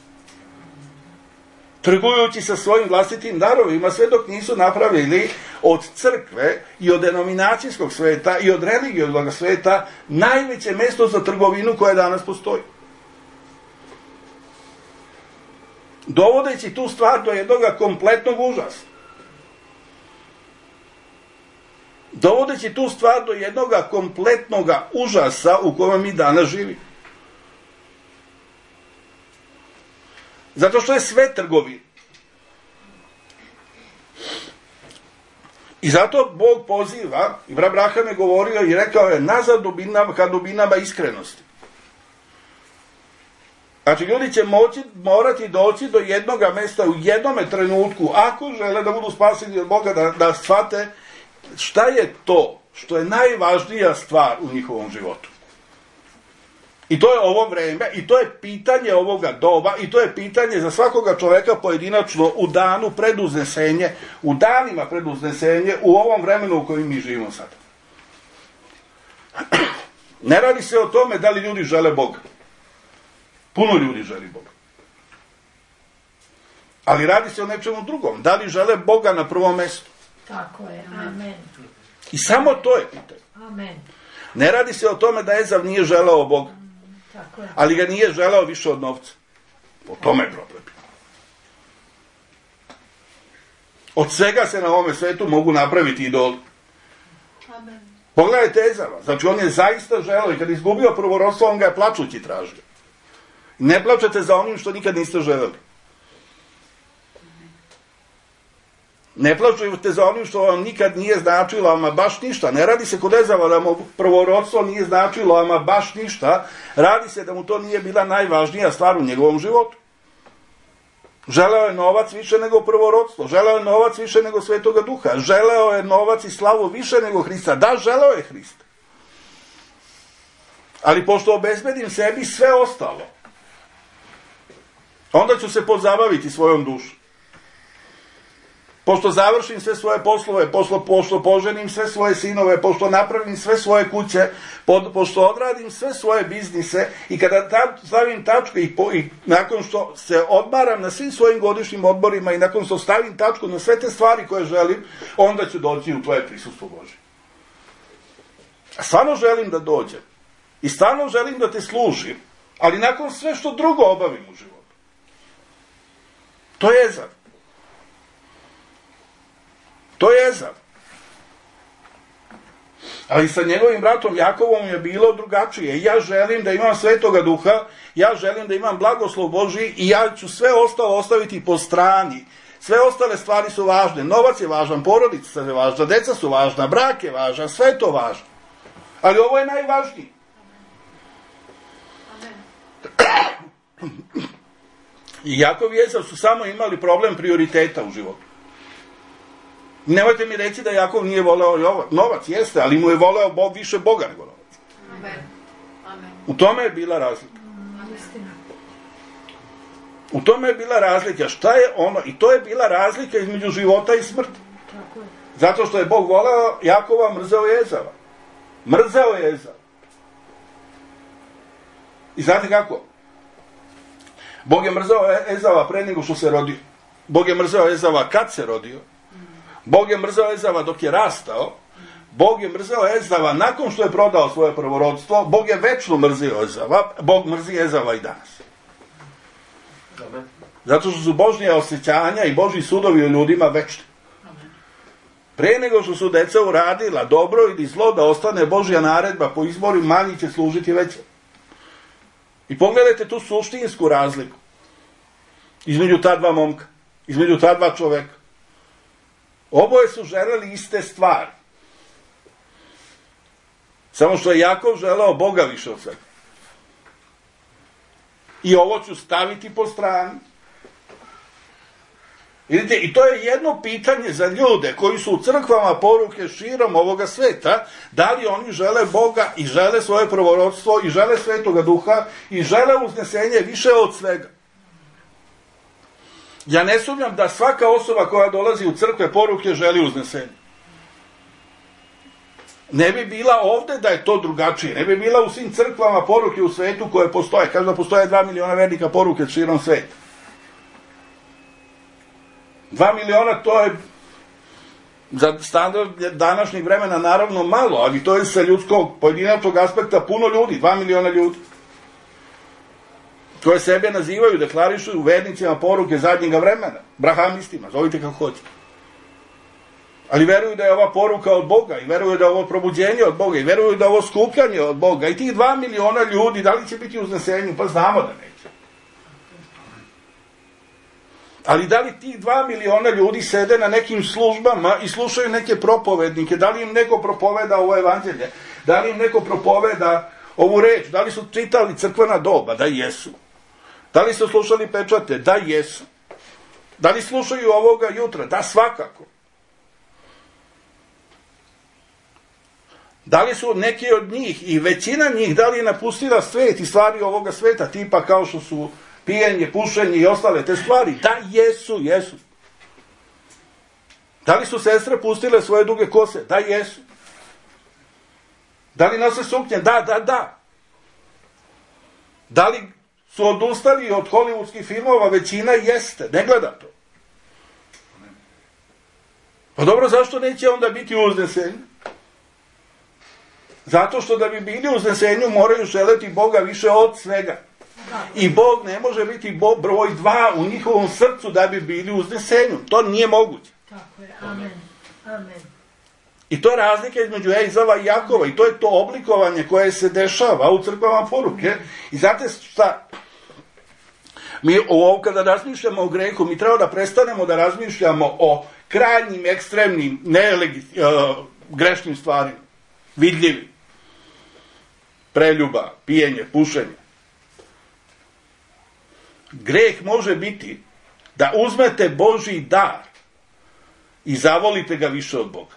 Trgujući sa svojim vlastitim darovima, sve dok nisu napravili od crkve i od denominacijskog sveta i od religioznog sveta najveće mesto za trgovinu koje danas postoji. Dovodeći tu stvar do jednog kompletnog užasa. Dovodeći tu stvar do jednog kompletnog užasa u kojem mi danas živimo. Zato što je sve trgovina. I zato Bog poziva, i brat Braham je govorio i rekao je nazad dubinama, ka dubinama iskrenosti. Znači, ljudi će moći, morati doći do jednog mjesta u jednome trenutku, ako žele da budu spaseni od Boga, da, da shvate šta je to što je najvažnija stvar u njihovom životu. I to je ovo vreme, i to je pitanje ovoga doba, i to je pitanje za svakoga čoveka pojedinačno u danu pred uznesenje, u danima pred uznesenje, u ovom vremenu u kojem mi živimo sad. Ne radi se o tome da li ljudi žele Boga. Puno ljudi želi Boga. Ali radi se o nečemu drugom. Da li žele Boga na prvom mjestu? Tako je, amen. I samo to je pitanje. Amen. Ne radi se o tome da Ezav nije želeo Boga. Tako je. Ali ga nije želeo više od novca. O tome je problem. Od svega se na ovome svetu mogu napraviti idoli. Amen. Pogledajte Ezava. Znači on je zaista želeo i kad je izgubio prvorodstvo, on ga je plačući tražio. Ne plačete za onim što nikad niste želeli. Ne plačujete za onim što vam nikad nije značilo, ama baš ništa. Ne radi se kod Ezava da mu prvorodstvo nije značilo, ama baš ništa. Radi se da mu to nije bila najvažnija stvar u njegovom životu. Želeo je novac više nego prvorodstvo. Želeo je novac više nego Svetoga Duha. Želeo je novac i slavu više nego Hrista. Da, želeo je Hrista. Ali pošto obezbedim sebi sve ostalo, onda ću se pozabaviti svojom dušom. Pošto završim sve svoje poslove, pošto, pošto poženim sve svoje sinove, pošto napravim sve svoje kuće, po, pošto odradim sve svoje biznise i kada ta, stavim tačku i, po, i nakon što se odmaram na svim svojim godišnjim odborima i nakon što stavim tačku na sve te stvari koje želim, onda ću doći u tvoje prisustvo Božje. A stvarno želim da dođem i stvarno želim da te služim, ali nakon sve što drugo obavim u životu. To je Ezav. To je Ezav. Ali sa njegovim bratom Jakovom je bilo drugačije. Ja želim da imam Svetoga Duha, ja želim da imam blagoslov Božji i ja ću sve ostalo ostaviti po strani. Sve ostale stvari su važne. Novac je važan, porodica je važna, deca su važna, brak je važan, sve je to važno. Ali ovo je najvažnije. I Jakov i Ezav su samo imali problem prioriteta u životu. Nemojte mi reći da Jakov nije voleo novac, jeste, ali mu je voleo Bog više Boga nego novac. Amen. Amen. U tome je bila razlika. U tome je bila razlika. Šta je ono? I to je bila razlika između života i smrti. Zato što je Bog voleo Jakova, mrzeo je Ezava. Mrzeo je Ezava. I znate kako? Bog je mrzeo Ezava pre nego što se rodio. Bog je mrzeo Ezava kad se rodio. Bog je mrzeo Ezava dok je rastao. Bog je mrzeo Ezava nakon što je prodao svoje prvorodstvo. Bog je večno mrzio Ezava. Bog mrzi Ezava i danas. Zato što su Božje osjećanja i Božji sudovi u ljudima večni. Pre nego što su deca uradila dobro ili zlo, da ostane Božja naredba po izboru, manji će služiti veće. I pogledajte tu suštinsku razliku između ta dva momka, između ta dva čoveka. Oboje su želeli iste stvari. Samo što je Jakov želeo Boga više od svega. I ovo ću staviti po strani. Vidite, i to je jedno pitanje za ljude koji su u crkvama poruke širom ovoga sveta, da li oni žele Boga i žele svoje prvorodstvo i žele Svetoga Duha i žele uznesenje više od svega. Ja ne sumnjam da svaka osoba koja dolazi u crkve poruke želi uznesenje. Ne bi bila ovde da je to drugačije, ne bi bila u svim crkvama poruke u svetu koje postoje. Kažu da postoje dva miliona vernika poruke širom sveta. Dva miliona, to je za standard današnjeg vremena naravno malo, ali to je sa ljudskog, pojedinačnog aspekta puno ljudi, dva miliona ljudi, koje sebe nazivaju, deklarišu vernicima poruke zadnjega vremena, brahamistima, zovite kako hoćete. Ali veruju da je ova poruka od Boga, i veruju da je ovo probuđenje od Boga, i veruju da je ovo skupljanje od Boga. I tih dva miliona ljudi, da li će biti u uznesenju? Pa znamo da neće. Ali da li tih dva miliona ljudi sede na nekim službama i slušaju neke propovednike? Da li im neko propoveda ovo evanđelje? Da li im neko propoveda ovu reč? Da li su čitali crkvena doba? Da jesu. Da li su slušali pečate? Da jesu. Da li slušaju ovoga jutra? Da, svakako. Da li su neki od njih i većina njih, da li je napustila svet i stvari ovoga sveta, tipa kao što su pijenje, pušenje i ostale te stvari? Da, jesu, jesu. Da li su sestre pustile svoje duge kose? Da, jesu. Da li nose suknje? Da, da, da. Da li su odustali od hollywoodskih filmova? Većina jeste. Ne gleda to. Pa dobro, zašto neće onda biti uznesenje? Zato što da bi bili u uznesenju moraju želeti Boga više od svega. I Bog ne može biti Bog broj dva u njihovom srcu da bi bili u uznesenju. To nije moguće. Tako je, amen, amen. I to je razlika između Ezava i Jakova. I to je to oblikovanje koje se dešava u crkvama poruke. I znate šta? Mi ovo kada razmišljamo o grehu, mi treba da prestanemo da razmišljamo o krajnjim, ekstremnim, nelegi, uh, grešnim stvarima. Vidljivim. Preljuba, pijenje, pušenje. Greh može biti da uzmete Božji dar i zavolite ga više od Boga.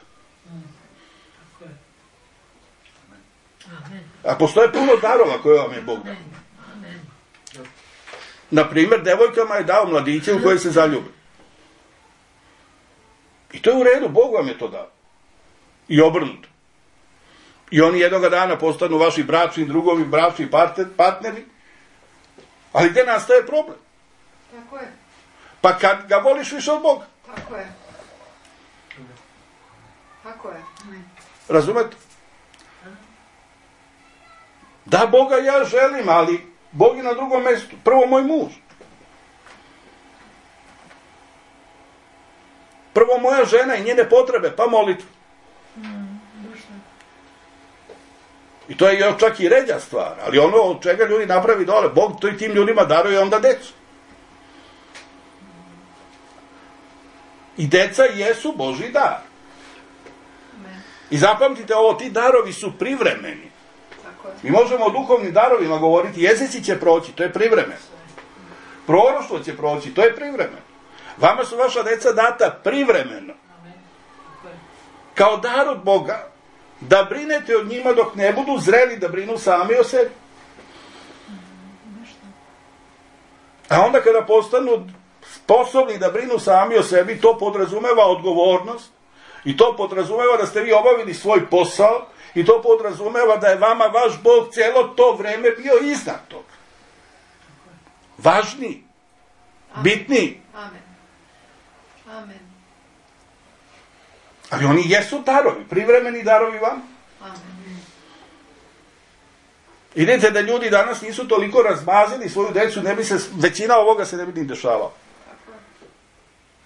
A postoje puno darova koje vam je Bog dao. Naprimjer, devojkama je dao mladiće u koje se zaljube. I to je u redu, Bog vam je to dao. I obrnuto. I oni jednoga dana postanu vaši bračni drugovi, bračni partneri. Ali gdje nastaje problem? Tako je. Pa kad ga voliš više od Boga. Tako je. Tako je. Razumete? Da, Boga ja želim, ali Bog je na drugom mjestu. Prvo moj muž. Prvo moja žena i njene potrebe, pa molitva. I to je još čak i ređa stvar, ali ono od čega ljudi napravi dole, Bog to i tim ljudima daruje onda decu. I deca jesu Božji dar. I zapamtite ovo, ti darovi su privremeni. Mi možemo o duhovnim darovima govoriti, jezici će proći, to je privremeno. Proroštvo će proći, to je privremeno. Vama su vaša deca data privremeno. Kao dar od Boga, da brinete od njima dok ne budu zreli da brinu sami o sebi. A onda kada postanu sposobni da brinu sami o sebi, to podrazumeva odgovornost i to podrazumeva da ste vi obavili svoj posao i to podrazumeva da je vama vaš Bog cijelo to vreme bio iznad toga. važniji, Amen. bitniji. Amen. Amen. Ali oni jesu darovi, privremeni darovi vam. Amen. Idete da ljudi danas nisu toliko razmazili svoju decu, ne bi se, većina ovoga se ne bi ni dešavao. Tako je.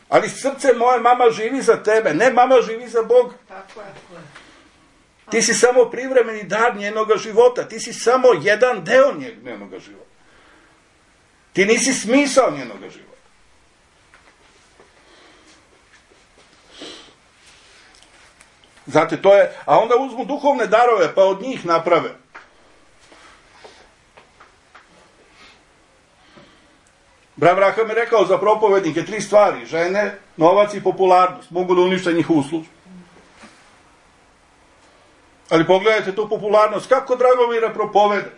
Ali srce moje, mama živi za tebe, ne mama živi za Boga. Tako je. Ti si samo privremeni dar njenoga života, ti si samo jedan deo njenoga života. Ti nisi smisao njenoga života. Znate, to je, a onda uzmu duhovne darove, pa od njih naprave. Brat Braham je rekao za propovednike tri stvari, žene, novac i popularnost, mogu da unište njihovu službu. Ali pogledajte tu popularnost, kako Dragomire propovedaš.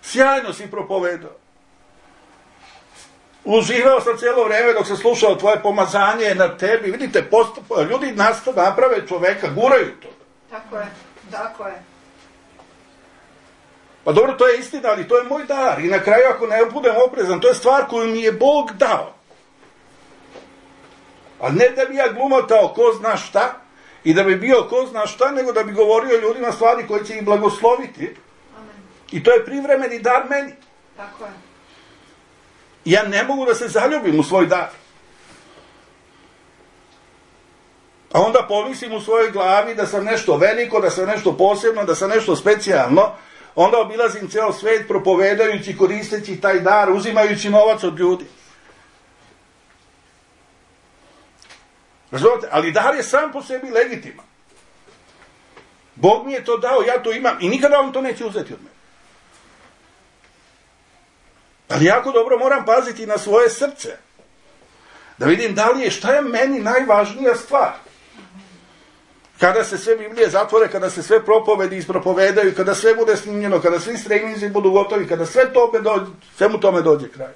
Sjajno si propovedao. Uživao sam cijelo vreme dok sam slušao tvoje pomazanje na tebi. Vidite, postup, ljudi nastav, naprave čoveka, guraju to. Tako je. Tako je. Pa dobro, to je istina, ali to je moj dar. I na kraju, ako ne budem oprezan, to je stvar koju mi je Bog dao. A ne da bi ja glumotao ko zna šta i da bi bio ko zna šta, nego da bi govorio ljudima stvari koje će ih blagosloviti. Amen. I to je privremeni dar meni. Tako je. Ja ne mogu da se zaljubim u svoj dar. A onda pomislim u svojoj glavi da sam nešto veliko, da sam nešto posebno, da sam nešto specijalno. Onda obilazim ceo svet propovedajući, koristeći taj dar, uzimajući novac od ljudi. Razumite? Ali dar je sam po sebi legitiman. Bog mi je to dao, ja to imam i nikada on to neće uzeti od mene. Ali jako dobro moram paziti na svoje srce. Da vidim da li je, šta je meni najvažnija stvar. Kada se sve Biblije zatvore, kada se sve propovedi ispropovedaju, kada sve bude snimljeno, kada svi streaminzi budu gotovi, kada sve tome dođe, svemu tome dođe kraj.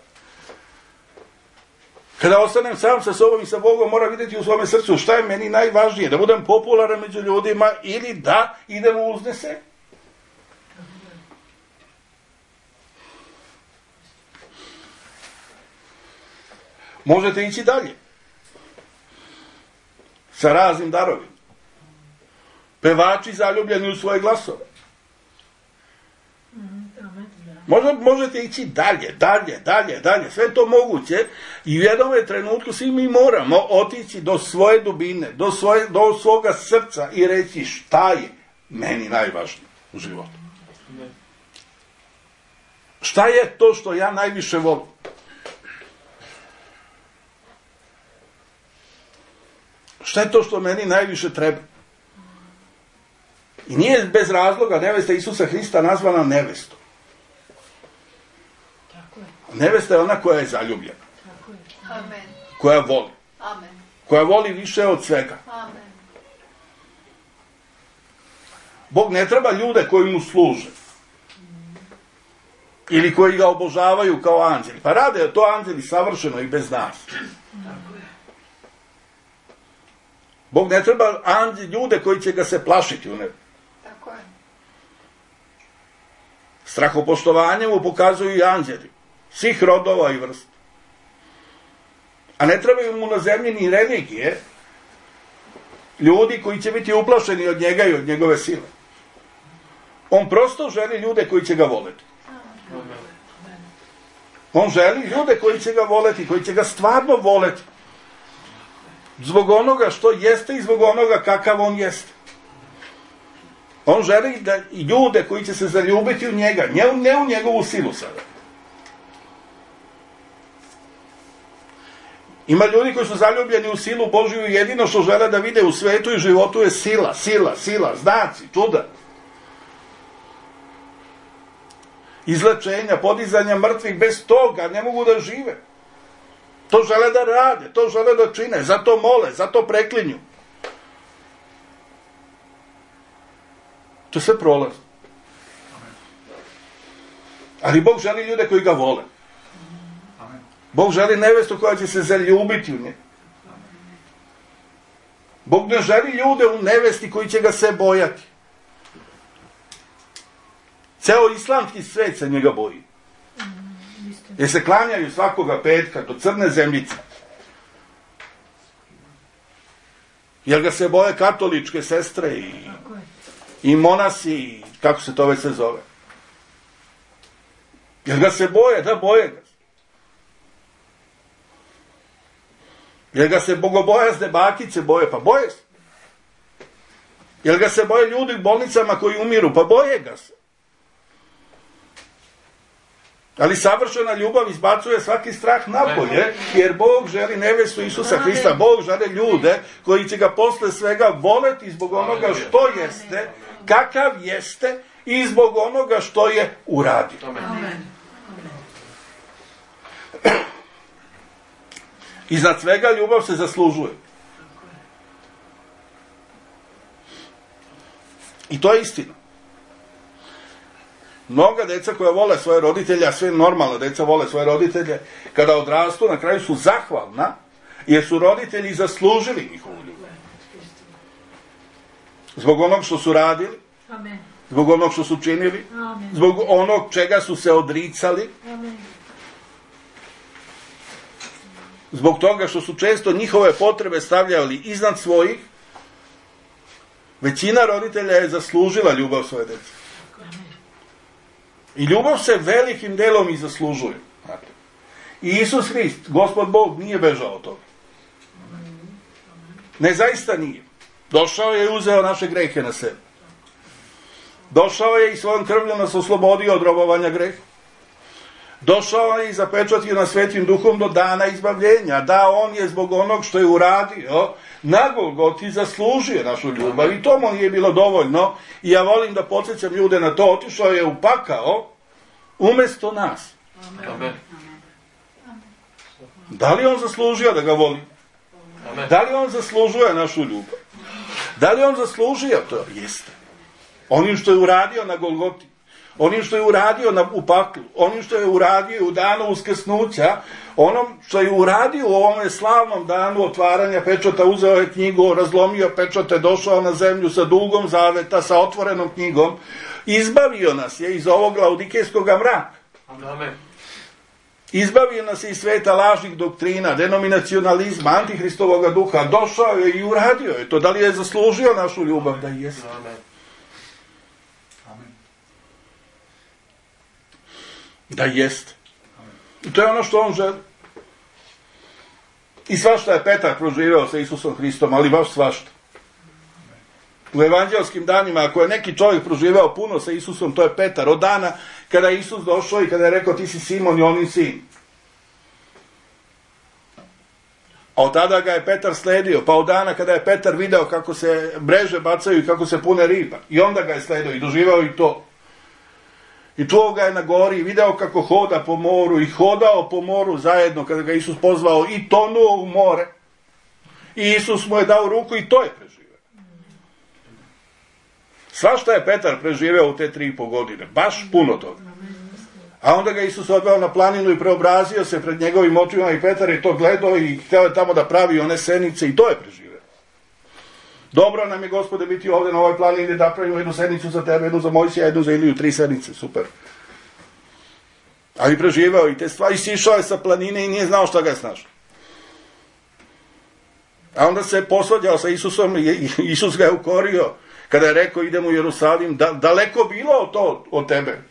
Kada ostanem sam sa sobom i sa Bogom, moram vidjeti u svome srcu šta je meni najvažnije, da budem popularan među ljudima ili da idem u uznese. Možete ići dalje. Sa raznim darovima. Pevači zaljubljeni u svoje glasove. Možda možete ići dalje, dalje, dalje, dalje. Sve to moguće i u jednom trenutku svi mi moramo otići do svoje dubine, do, svoje, do svoga srca i reći šta je meni najvažnije u životu. Šta je to što ja najviše volim? Šta je to što meni najviše treba? I nije bez razloga nevesta Isusa Hrista nazvana nevestom. Tako je. Nevesta je ona koja je zaljubljena. Tako je. Amen. Koja voli. Amen. Koja voli više od svega. Amen. Bog ne treba ljude koji mu služe. Ili koji ga obožavaju kao anđeli. Pa rade to anđeli savršeno i bez nas. Bog ne treba anđeli, ljude koji će ga se plašiti u nebu. Tako je. Strahopoštovanje mu pokazuju i anđeli. Svih rodova i vrsta. A ne trebaju mu na zemlji ni religije. Ljudi koji će biti uplašeni od njega i od njegove sile. On prosto želi ljude koji će ga voleti. On želi ljude koji će ga voleti, koji će ga stvarno voleti. Zbog onoga što jeste i zbog onoga kakav on jeste. On želi da i ljude koji će se zaljubiti u njega, ne u njegovu silu sada. Ima ljudi koji su zaljubljeni u silu Božiju i jedino što žele da vide u svetu i životu je sila, sila, sila, znaci, čuda. Izlečenja, podizanja mrtvih, bez toga ne mogu da žive. To žele da rade, to žele da čine, zato mole, zato preklinju. To sve prolazi. Ali Bog želi ljude koji ga vole. Bog želi nevestu koja će se zaljubiti u njega. Bog ne želi ljude u nevesti koji će ga se bojati. Ceo islamski svet se njega boji. Jer se klanjaju svakoga petka do crne zemljice. Jer ga se boje katoličke sestre i, i monasi, i kako se to već se zove. Jer ga se boje, da boje ga. Jer ga se bogobojazne bakice boje, pa boje se. Jer ga se boje ljudi u bolnicama koji umiru, pa boje ga se. Ali savršena ljubav izbacuje svaki strah napolje, jer Bog želi nevestu Isusa Hrista, Bog želi ljude koji će ga posle svega voleti zbog onoga što jeste, kakav jeste i zbog onoga što je uradio. Iznad svega ljubav se zaslužuje. I to je istina. Mnoga deca koja vole svoje roditelje, a sve normalna deca vole svoje roditelje, kada odrastu, na kraju su zahvalna, jer su roditelji zaslužili njihovu ljubav. Zbog onog što su radili, zbog onog što su činili, zbog onog čega su se odricali, zbog toga što su često njihove potrebe stavljali iznad svojih. Većina roditelja je zaslužila ljubav svoje dece. I ljubav se velikim delom i zaslužuje. I Isus Hrist, Gospod Bog, nije bežao od toga. Ne, zaista nije. Došao je i uzeo naše grehe na sebe. Došao je i svojom krvljom nas oslobodio od robovanja greha. Došao je i zapečatio nas Svetim Duhom do dana izbavljenja. Da, on je zbog onog što je uradio na Golgoti zaslužio našu ljubav. I to mu nije bilo dovoljno. I ja volim da podsjećam ljude na to. Otišao je u pakao umjesto nas. Amen. Da li on zaslužio da ga voli? Amen. Da li on zaslužuje našu ljubav? Da li on zaslužio to? Jeste. Onim što je uradio na Golgoti. Onim što je uradio na, u paklu, onim što je uradio u danu uskrsnuća, onom što je uradio u ovome slavnom danu otvaranja pečata, uzeo je knjigu, razlomio pečate, došao na zemlju sa dugom zaveta, sa otvorenom knjigom, izbavio nas je iz ovog laudikejskog mraka. Amen. Izbavio nas je iz sveta lažnih doktrina, denominacionalizma, antihristovog duha, došao je i uradio je to. Da li je zaslužio našu ljubav? Da jeste. Amen. Da jest. I to je ono što on želi. I svašta je Petar proživeo sa Isusom Hristom, ali baš svašta. U evanđelskim danima, ako je neki čovjek proživeo puno sa Isusom, to je Petar. Od dana kada je Isus došao i kada je rekao ti si Simon i onin sin. A od tada ga je Petar sledio, pa od dana kada je Petar video kako se mreže bacaju i kako se pune riba. I onda ga je sledio i doživeo i to. I čuo ga je na gori i video kako hoda po moru i hodao po moru zajedno kada ga Isus pozvao i tonuo u more. I Isus mu je dao ruku i to je preživeo. Svašta je Petar preživeo u te tri i po godine. Baš puno toga. A onda ga Isus odveo na planinu i preobrazio se pred njegovim očima i Petar je to gledao i hteo je tamo da pravi one senice i to je preživeo. Dobro nam je, Gospode, biti ovdje na ovoj planini da pravimo jednu sednicu za tebe, jednu za Mojsija, jednu za Iliju, tri sednice, super. Ali preživao i te stvari, sišao je sa planine i nije znao šta ga je snašao. A onda se posvađao sa Isusom i Isus ga je ukorio kada je rekao idemo u Jerusalim, da, daleko bilo to od tebe,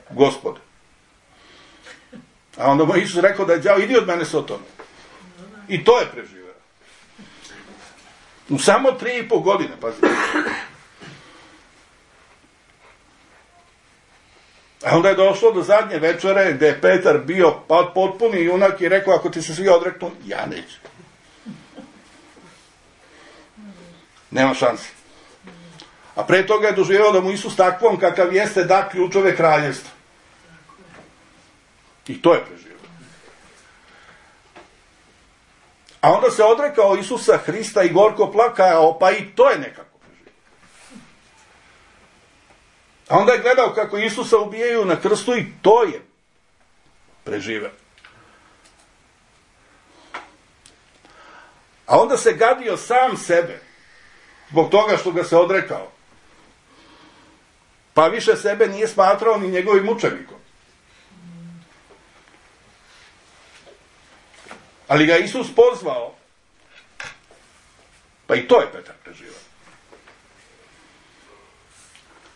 Gospode. A onda mu Isus rekao da je đavo, idi od mene Sotone. I to je preživao. U samo tri i po godine, pazite. A onda je došlo do zadnje večere gde je Petar bio potpuni junak i rekao ako ti se svi odreknu, ja neću. Nema šanse. A pre toga je doživio da mu Isus takvom kakav jeste da ključove kraljevstva. I to je preživio. A onda se odrekao Isusa Hrista i gorko plakao, pa i to je nekako preživio. A onda je gledao kako Isusa ubijaju na krstu i to je preživio. A onda se gadio sam sebe zbog toga što ga se odrekao. Pa više sebe nije smatrao ni njegovim mučenikom. Ali ga Isus pozvao. Pa i to je Petar preživao.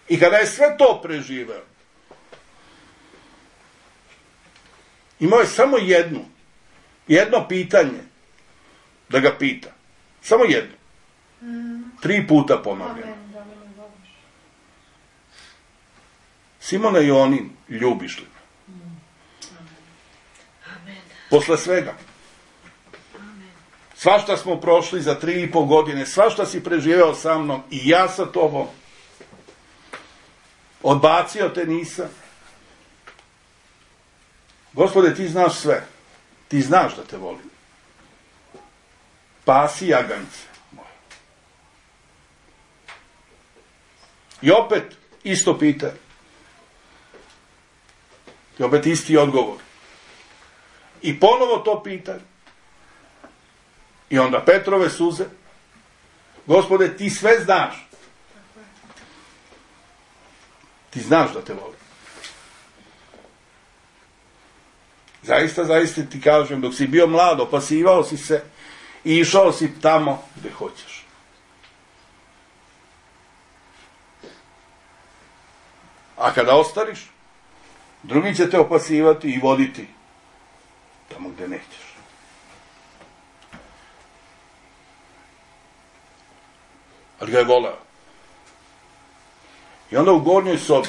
I kada je sve to preživao, imao je samo jednu, jedno pitanje da ga pita. Samo jedno. Tri puta ponovljeno. Simona Jonin, ljubiš li me? Posle svega. Svašta smo prošli za tri i po godine, svašta si preživeo sa mnom i ja sa tobom. Odbacio te nisam. Gospode, ti znaš sve. Ti znaš da te volim. Pasi jaganjce moje. I opet isto pitanje. I opet isti odgovor. I ponovo to pitanje. I onda Petrove suze. Gospode, ti sve znaš. Ti znaš da te volim. Zaista, zaista ti kažem, dok si bio mlad, opasivao si se i išao si tamo gde hoćeš. A kada ostariš, drugi će te opasivati i voditi tamo gde nećeš. Ali ga je voleo. I onda u gornjoj sobi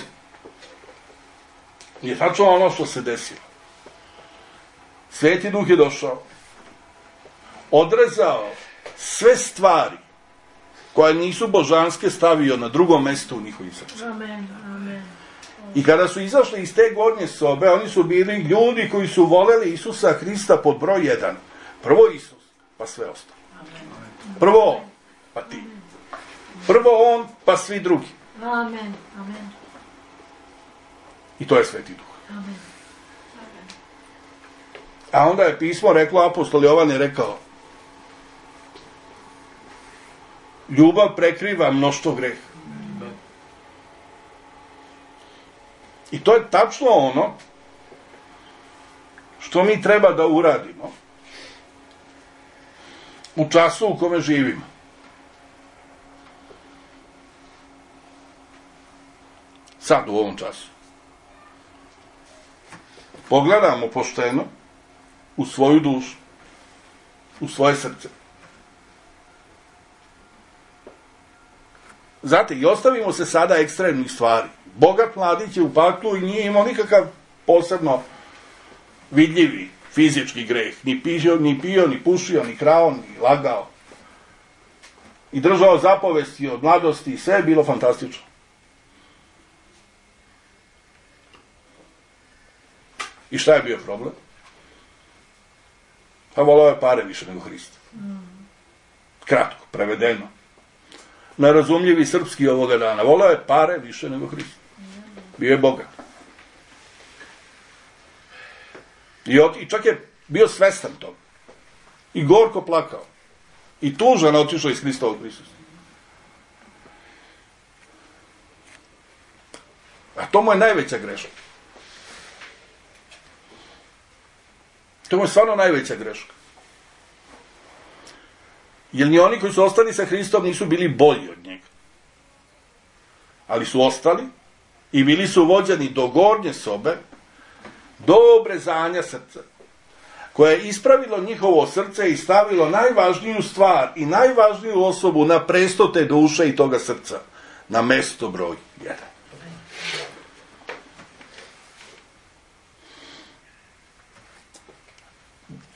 je tačno ono što se desilo. Sveti Duh je došao, odrezao sve stvari koje nisu božanske, stavio na drugom mestu u njihovim srcima. Amen, amen. I kada su izašli iz te gornje sobe, oni su bili ljudi koji su voleli Isusa Hrista pod broj jedan. Prvo Isus, pa sve ostalo. Prvo on, pa ti. Prvo on, pa svi drugi. Amen, amen. I to je Sveti Duh. Amen. A onda je pismo reklo, apostol Jovan je rekao, ljubav prekriva mnoštvo greha. I to je tačno ono što mi treba da uradimo u času u kome živimo. Sad, u ovom času. Pogledamo pošteno u svoju dušu, u svoje srce. Znate, i ostavimo se sada ekstremnih stvari. Bogat mladić je u paklu i nije imao nikakav posebno vidljivi fizički greh. Ni pio, ni pio, ni pušio, ni krao, ni lagao. I držao zapovesti od mladosti i sve je bilo fantastično. I šta je bio problem? Pa volao je pare više nego Hrista. Kratko, prevedeno. Nerazumljivi srpski ovoga dana. Volao je pare više nego Hrista. Bio je bogat. I, od, I čak je bio svestan toga. I gorko plakao. I tužan otišao iz Hristovog prisustva. A to mu je najveća greška. To mu je stvarno najveća greška. Jer ni oni koji su ostali sa Hristom nisu bili bolji od njega. Ali su ostali i bili su vođeni do gornje sobe, do obrezanja srca, koje je ispravilo njihovo srce i stavilo najvažniju stvar i najvažniju osobu na presto te duše i toga srca, na mesto broj jedan.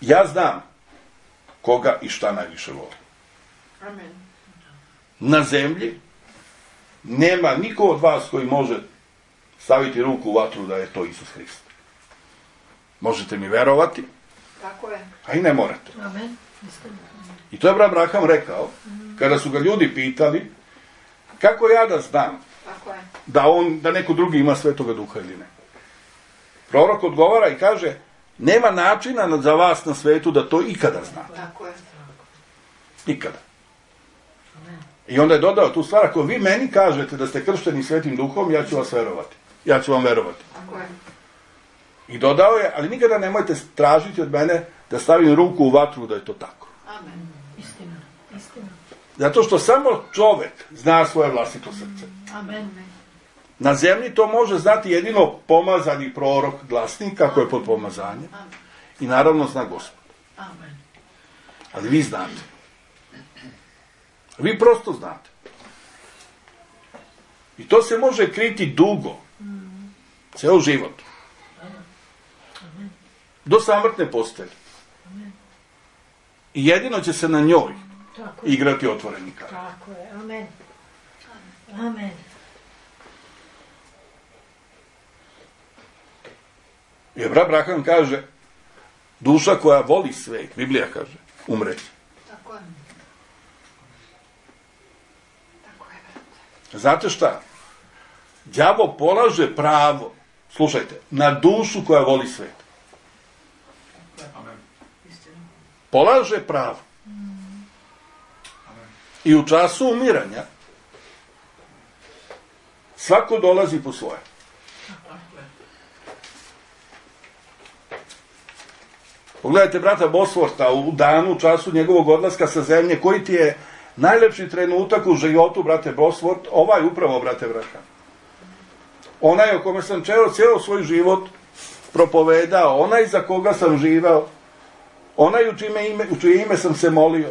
Ja znam koga i šta najviše voli. Amen. Na zemlji nema niko od vas koji može staviti ruku u vatru da je to Isus Hrist. Možete mi verovati, Tako je. a i ne morate. Amen. I to je brat Abraham rekao, kada su ga ljudi pitali, kako ja da znam Tako je. da, on, da neko drugi ima Svetoga Duha ili ne. Prorok odgovara i kaže, nema načina za vas na svetu da to ikada znate. Tako je. Nikada. I onda je dodao tu stvar, ako vi meni kažete da ste kršteni Svetim Duhom, ja ću vas verovati. Ja ću vam verovati. Tako je. I dodao je, ali nikada nemojte tražiti od mene da stavim ruku u vatru da je to tako. Amen. Istina, istina. Zato što samo čovek zna svoje vlastito srce. Amen. Na zemlji to može znati jedino pomazani prorok, glasnik, kako je pod pomazanjem. I naravno zna Gospod. Amen. Ali vi znate. Vi prosto znate. I to se može kriti dugo. Ceo život. Do samrtne postelje. I jedino će se na njoj Tako je. igrati otvoreni kar. Tako je. Amen. Amen. Jer brat Abraham kaže, duša koja voli svet, Biblija kaže, umreće. Tako je. Tako je, brate. Znate šta? Đavo polaže pravo, slušajte, na dušu koja voli svet. Amen. Polaže pravo. I u času umiranja svako dolazi po svoje. Pogledajte brata Bosworta u danu, u času njegovog odlaska sa zemlje, koji ti je najlepši trenutak u životu, brate Bosworth, ovaj upravo, brate Abraham. Onaj o kome sam čeo cijelo svoj život propovedao, onaj za koga sam živao, onaj u, čime ime, u čije ime sam se molio,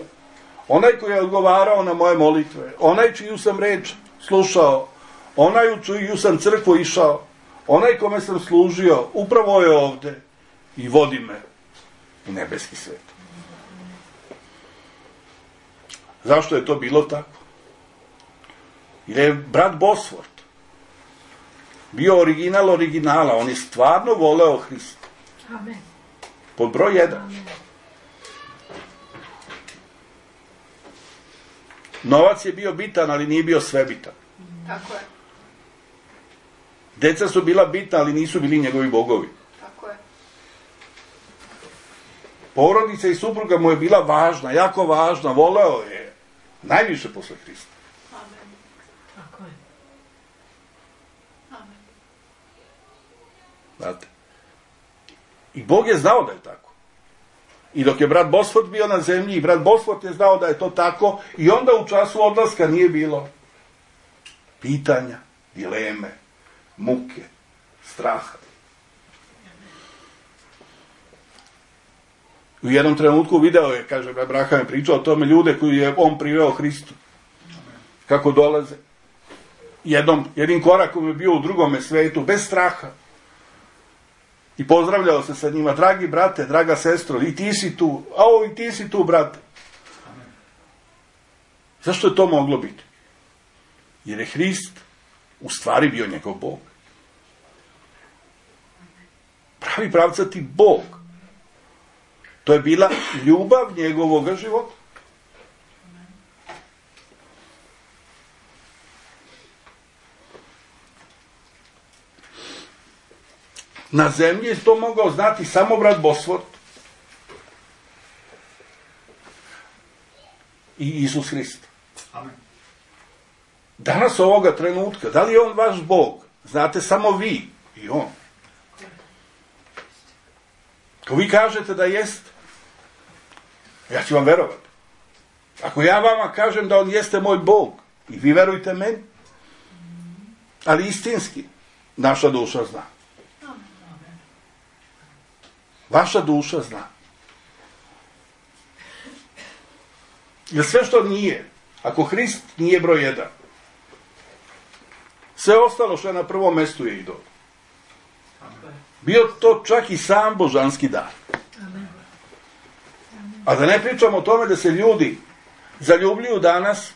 onaj koji je odgovarao na moje molitve, onaj čiju sam reč slušao, onaj u čiju sam crkvu išao, onaj kome sam služio, upravo je ovde i vodi me u nebeski svet. Zašto je to bilo tako? Jer je brat Bosworth bio original originala, on je stvarno voleo Hrista. Amen. Pod broj jedan. Amen. Novac je bio bitan, ali nije bio svebitan. Tako je. Deca su bila bitna, ali nisu bili njegovi bogovi. Tako je. Porodica i supruga mu je bila važna, jako važna, voleo je najviše posle Hrista. Amen. Tako je. Amen. Znate? I Bog je znao da je tako. I dok je brat Bosworth bio na zemlji, i brat Bosworth je znao da je to tako, i onda u času odlaska nije bilo pitanja, dileme, muke, straha. U jednom trenutku video je, kaže, Abraham je pričao o tome, ljude koji je on priveo Hristu. Kako dolaze. Jednom, jednim korakom je bio u drugome svetu, bez straha. I pozdravljao se sa njima, dragi brate, draga sestro, i ti si tu, a ovo i ti si tu, brate. Zašto je to moglo biti? Jer je Hrist u stvari bio njegov Bog. Pravi pravcati Bog. To je bila ljubav njegovog života. Na zemlji je to mogao znati samo brat Bosworth i Isus Hrist. Amen. Danas ovoga trenutka, da li je on vaš Bog? Znate samo vi i on. Ako vi kažete da jeste, ja ću vam verovati. Ako ja vama kažem da on jeste moj Bog, i vi verujte meni, ali istinski, naša duša zna. Vaša duša zna. Jer sve što nije, ako Hrist nije broj jedan, sve ostalo što je na prvom mestu je idol. Bio to čak i sam božanski dar. A da ne pričamo o tome da se ljudi zaljubljuju danas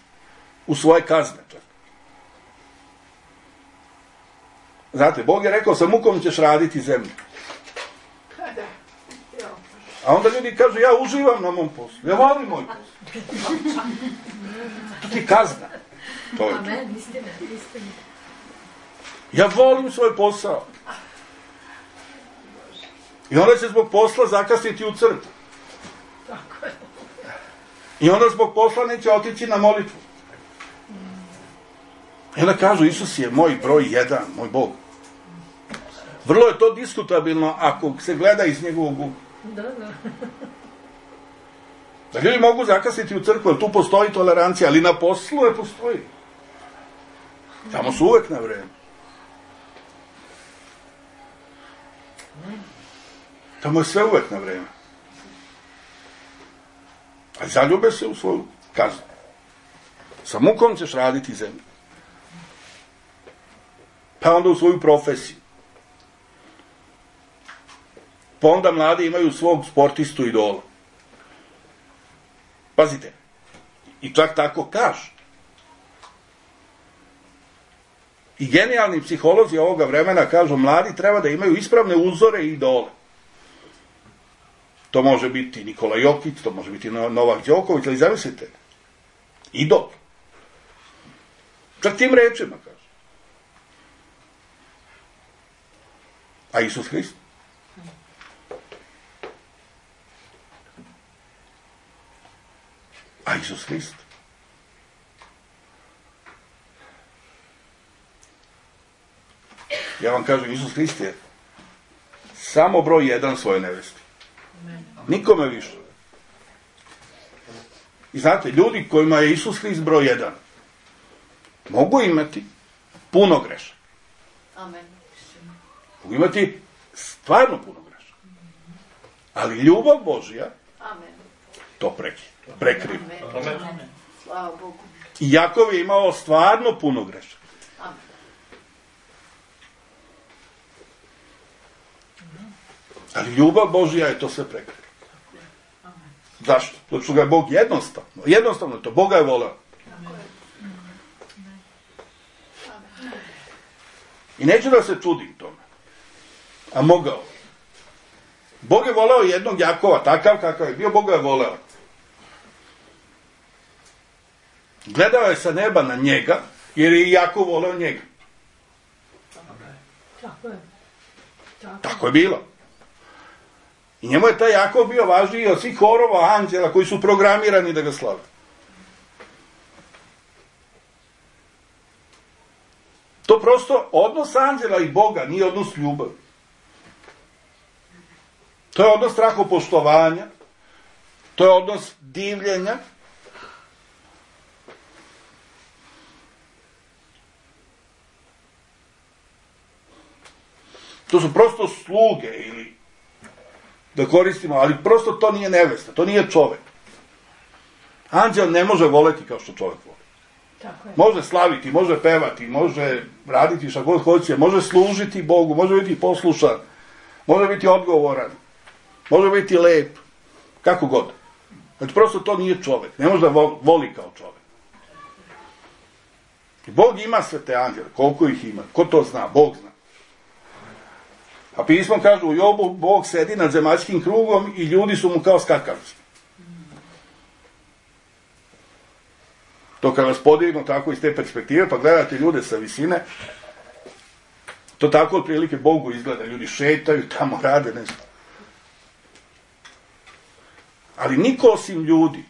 u svoje kazne. Čak. Znate, Bog je rekao, sa mukom ćeš raditi zemlju. A onda ljudi kažu, ja uživam na mom poslu, ja volim moj posao. To ti kazna. To je to. Amen, istina, istina. Ja volim svoj posao. I onda će zbog posla zakasniti u crkvu. Tako je. I onda zbog posla neće otići na molitvu. I onda kažu, Isus je moj broj jedan, moj Bog. Vrlo je to diskutabilno ako se gleda iz njegovog ugla. Da, da. Da ljudi mogu zakasniti u crkvu, jer tu postoji tolerancija, ali na poslu ne postoji. Tamo su uvek na vreme. Tamo je sve uvek na vreme. A zaljube se u svoju kaznu. Sa mukom ćeš raditi zemlju. Pa onda u svoju profesiju. Pa onda mladi imaju svog sportistu idola. Pazite. I čak tako kaže. I genijalni psiholozi ovoga vremena kažu, mladi treba da imaju ispravne uzore i idole. To može biti Nikola Jokić, to može biti Novak Đoković, ali zamislite, idol. Čak tim rečima kaže. A Isus Hrist? A Isus Hrist? Ja vam kažem, Isus Hrist je samo broj jedan svoje nevesti. Nikome više. I znate, ljudi kojima je Isus Hrist broj jedan, mogu imati puno grešaka. Amen. Mogu imati stvarno puno grešaka. Ali ljubav Božja Amen. to prekri, prekriva. Amen. Amen. Slava Bogu. I Jakov je imao stvarno puno grešaka. Amen. Ali ljubav Božja je to sve prekrila. Zašto? Zato što ga je Bog jednostavno. Jednostavno je to. Boga je voleo. I neću da se čudim tome. A mogao. Bog je voleo jednog Jakova, takav kakav je bio, Bog ga je voleo. Gledao je sa neba na njega, jer je i Jakov voleo njega. Tako je. Tako, Tako je bilo. I njemu je taj Jakov bio važniji od svih horova anđela koji su programirani da ga slave. To prosto odnos anđela i Boga nije odnos ljubavi. To je odnos strahopoštovanja, to je odnos divljenja. To su prosto sluge ili da koristimo, ali prosto to nije nevesta, to nije čovek. Anđel ne može voleti kao što čovek voli. tako je. Može slaviti, može pevati, može raditi šta god hoće, može služiti Bogu, može biti poslušan, može biti odgovoran, može biti lep, kako god. Znači, prosto to nije čovek, ne može da voli kao čovek. I Bog ima sve te anđele, koliko ih ima, ko to zna, Bog zna. A pismo kaže u Jobu, Bog sedi nad zemaljskim krugom i ljudi su mu kao skakavci. To kad vas podignu tako iz te perspektive, pa gledate ljude sa visine, to tako otprilike Bogu izgleda. Ljudi šetaju, tamo rade nešto. Ali niko osim ljudi,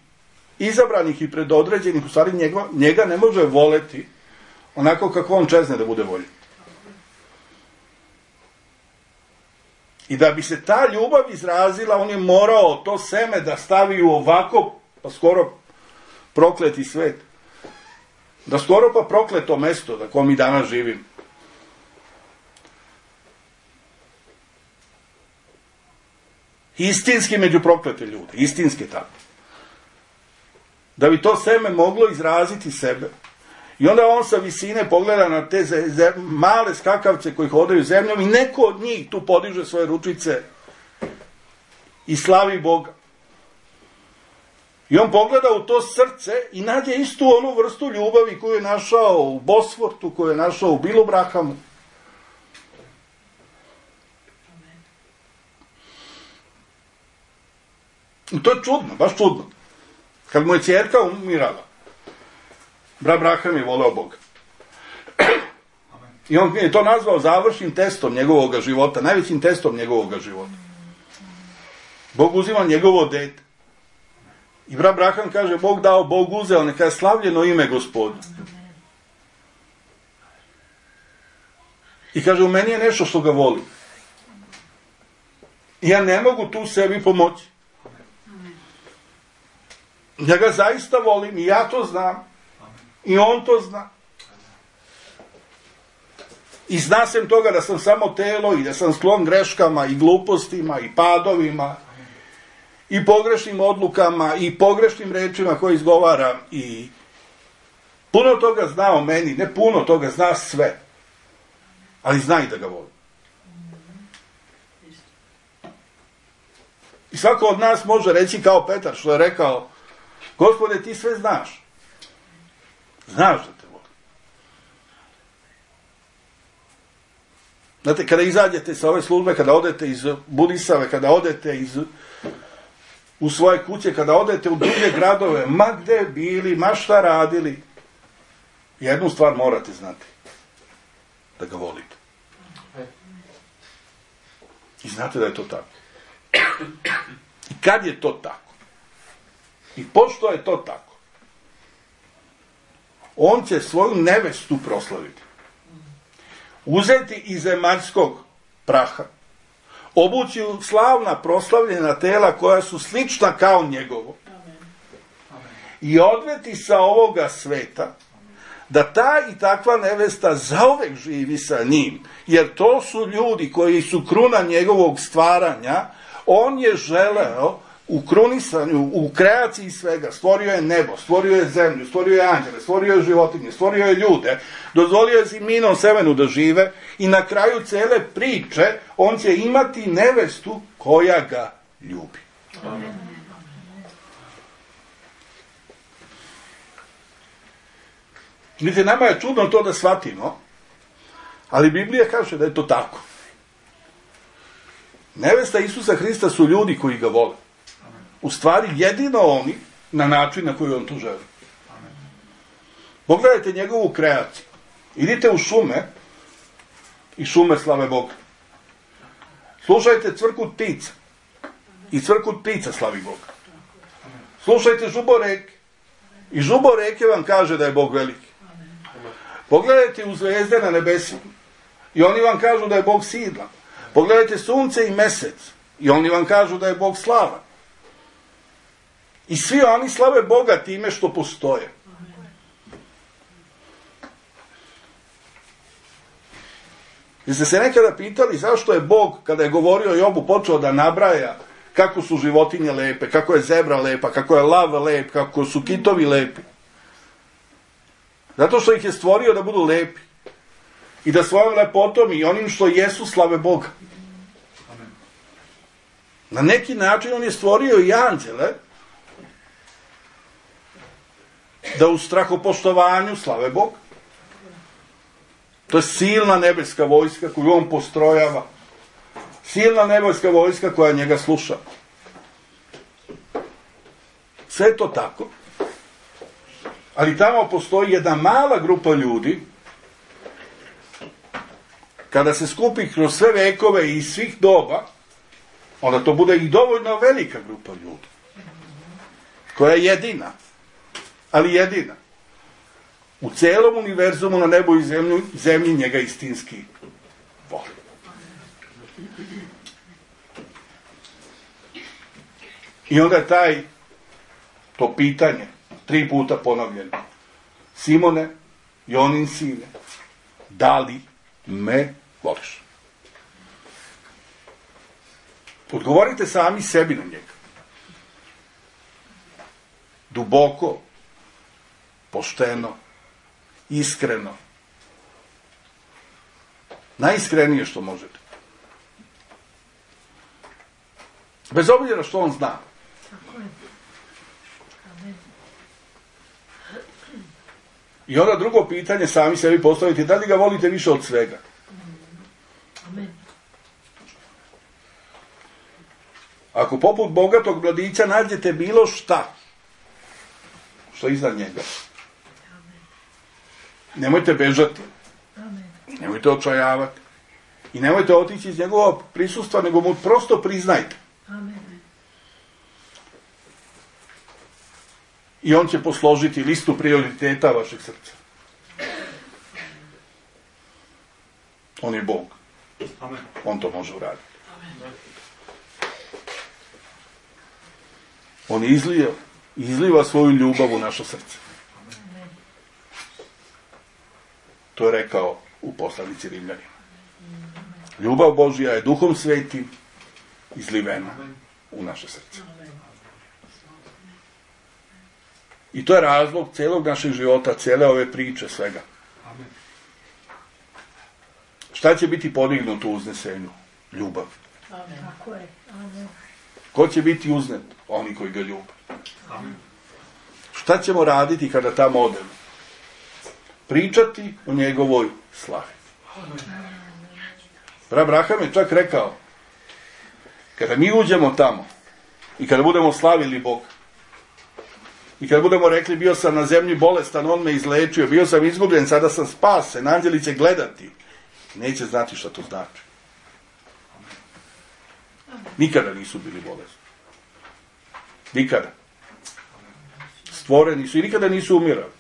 izabranih i predodređenih, u stvari njega, njega ne može voleti onako kako on čezne da bude voljen. I da bi se ta ljubav izrazila, on je morao to seme da stavi u ovako, pa skoro prokleti svet. Da skoro pa prokleto mesto na kom mi danas živimo. Istinski među proklete ljude, istinski tako. Da bi to seme moglo izraziti sebe. I onda on sa visine pogleda na te zem, male skakavce koji hodaju zemljom i neko od njih tu podiže svoje ručice i slavi Boga. I on pogleda u to srce i nađe istu onu vrstu ljubavi koju je našao u Bosfortu, koju je našao u Bilobrahamu. I to je čudno, baš čudno. Kad mu je ćerka umirala, brat Braham je voleo Boga. I on je to nazvao završnim testom njegovog života, najvećim testom njegovog života. Bog uzima njegovo dete. I brat Braham kaže, Bog dao, Bog uzeo, neka je slavljeno ime Gospodu. I kaže, u meni je nešto što ga voli. I ja ne mogu tu sebi pomoći. Ja ga zaista volim i ja to znam. I on to zna. I zna sam toga da sam samo telo i da sam sklon greškama i glupostima i padovima i pogrešnim odlukama i pogrešnim rečima koje izgovaram i puno toga zna o meni, ne puno toga, zna sve. Ali zna i da ga volim. I svako od nas može reći kao Petar što je rekao: Gospode, ti sve znaš. Znaš da te volim. Znate, kada izađete sa ove službe, kada odete iz Budisave, kada odete iz, u svoje kuće, kada odete u druge gradove, ma gde bili, ma šta radili, jednu stvar morate znati. Da ga volite. I znate da je to tako. I kad je to tako? I pošto je to tako? On će svoju nevestu proslaviti. Uzeti iz zemaljskog praha, obući u slavna proslavljena tela koja su slična kao njegovo i odveti sa ovoga sveta da ta i takva nevesta zauvek živi sa njim, jer to su ljudi koji su kruna njegovog stvaranja. On je želeo u krunisanju, u kreaciji svega, stvorio je nebo, stvorio je zemlju, stvorio je anđele, stvorio je životinje, stvorio je ljude, dozvolio je ziminom semenu da žive i na kraju cele priče on će imati nevestu koja ga ljubi. Amen. Vidite, nama je čudno to da shvatimo, ali Biblija kaže da je to tako. Nevesta Isusa Hrista su ljudi koji ga vole. U stvari jedino oni na način na koji on to želi. Pogledajte njegovu kreaciju. Idite u šume i šume slave Boga. Slušajte cvrkut ptica i cvrkut ptica slavi Boga. Slušajte žuboreke i žuboreke vam kaže da je Bog veliki. Pogledajte u zvezde na nebesima i oni vam kažu da je Bog sidlan. Pogledajte sunce i mesec i oni vam kažu da je Bog slavan. I svi oni slave Boga time što postoje. Jeste se nekada pitali zašto je Bog, kada je govorio Jobu, počeo da nabraja kako su životinje lepe, kako je zebra lepa, kako je lav lep, kako su kitovi lepi? Zato što ih je stvorio da budu lepi. I da svojom lepotom i onim što jesu slave Boga. Na neki način on je stvorio i anđele da u strahopoštovanju slave Boga. To je silna nebeska vojska koju on postrojava. Silna nebeska vojska koja njega sluša. Sve je to tako. Ali tamo postoji jedna mala grupa ljudi, kada se skupi kroz sve vekove i svih doba, onda to bude i dovoljno velika grupa ljudi, koja je jedina, ali jedina, u celom univerzumu, na nebu i zemlju, zemlji njega istinski voli. I onda je taj, to pitanje, tri puta ponovljeno: Simone, Jonin sine, da li me voliš? Odgovorite sami sebi na njega. Duboko, pošteno, iskreno. Najiskrenije što možete. Bez obzira što on zna. I onda drugo pitanje sami sebi postavite: da li ga volite više od svega? Amen. Ako poput bogatog mladića nađete bilo šta što je iznad njega, nemojte bežati. Nemojte očajavati. I nemojte otići iz njegovog prisustva, nego mu prosto priznajte. I on će posložiti listu prioriteta vašeg srca. On je Bog. Amen. On to može uraditi. Amen. On je izlio izliva svoju ljubav u naše srce. To je rekao u poslanici Rimljanima. Ljubav Božja je Duhom Svetim izlivena u naše srce. I to je razlog celog našeg života, cele ove priče, svega. Šta će biti podignuto u uznesenju? Ljubav. Amen. Tako je. Amen. Ko će biti uznet? Oni koji ga ljube. Amen. Šta ćemo raditi kada tamo odemo? Pričati o njegovoj slavi. Abraham je čak rekao, kada mi uđemo tamo i kada budemo slavili Boga i kada budemo rekli, bio sam na zemlji bolestan, on me izlečio, bio sam izgubljen, sada sam spasen, anđeli će gledati, neće znati šta to znači. Nikada nisu bili bolesni. Nikada. Stvoreni su i nikada nisu umirali.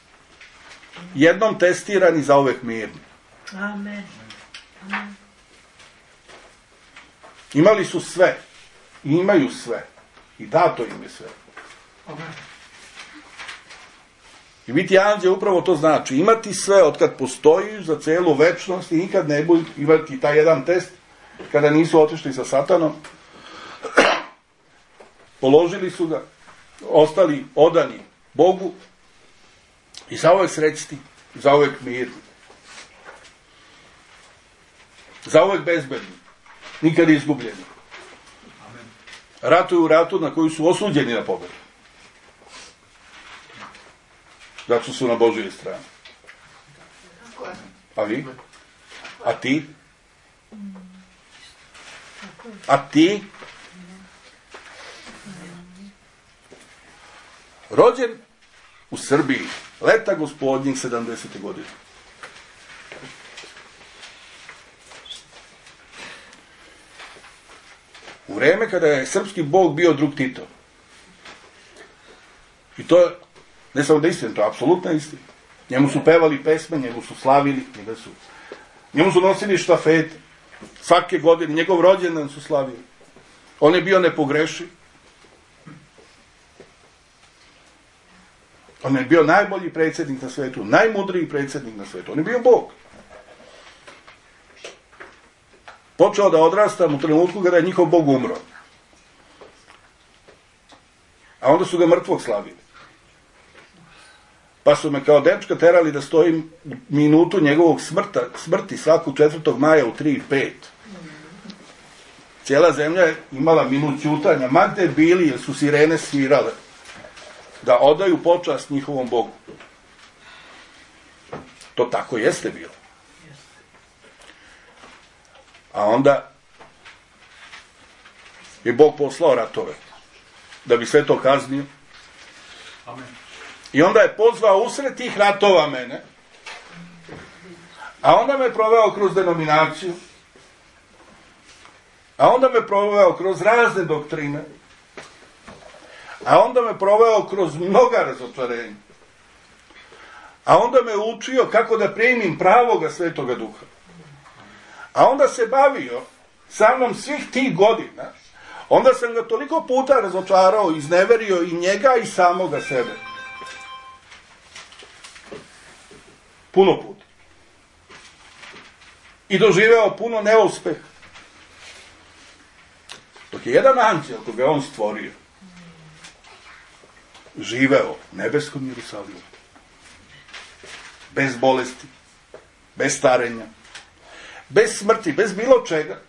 Jednom testirani, zauvek mirni. Amen. Amen. Imali su sve. I imaju sve. I dato im je sve. I biti anđeo upravo to znači. Imati sve otkad postoji za celu večnost i nikad ne budu imati taj jedan test kada nisu otišli sa Satanom. Položili su ga, ostali odani Bogu i zauvek srećni, zauvek mirni. Zauvek bezbedni, nikad izgubljeni. Ratuju u ratu na koju su osuđeni na pobedu. Zato su na Božjoj strani. A vi? A ti? A ti? Rođen u Srbiji, leta gospodnjih sedamdesete godine. U vreme kada je srpski Bog bio drug Tito. I to je, ne samo da je istina, to je apsolutna istina. Njemu su pevali pesme, njemu su slavili, njega su, njemu su nosili štafete. Svake godine, njegov rođendan su slavili. On je bio nepogrešiv. On je bio najbolji predsjednik na svetu, najmudriji predsjednik na svetu. On je bio Bog. Počeo da odrastam u trenutku kada je njihov Bog umro. A onda su ga mrtvog slavili. Pa su me kao dečka terali da stojim minutu njegovog smrta, smrti svakog četvrtog maja u tri i pet. Cijela zemlja je imala minut ćutanja, ma gde bili, jer su sirene svirale, da odaju počast njihovom Bogu. To tako jeste bilo. A onda je Bog poslao ratove da bi sve to kaznio. Amen. I onda je pozvao usred tih ratova mene, a onda me proveo kroz denominaciju, a onda me proveo kroz razne doktrine, a onda me proveo kroz mnoga razočarenja, a onda me učio kako da primim pravoga Svetoga Duha. A onda se bavio sa mnom svih tih godina, onda sam ga toliko puta razočarao, izneverio i njega i samoga sebe. Puno puta. I doživeo puno neuspeha. Dok je jedan anđel, koga je on stvorio, živeo u nebeskom Jerusalimu. Bez bolesti, bez starenja, bez smrti, bez bilo čega.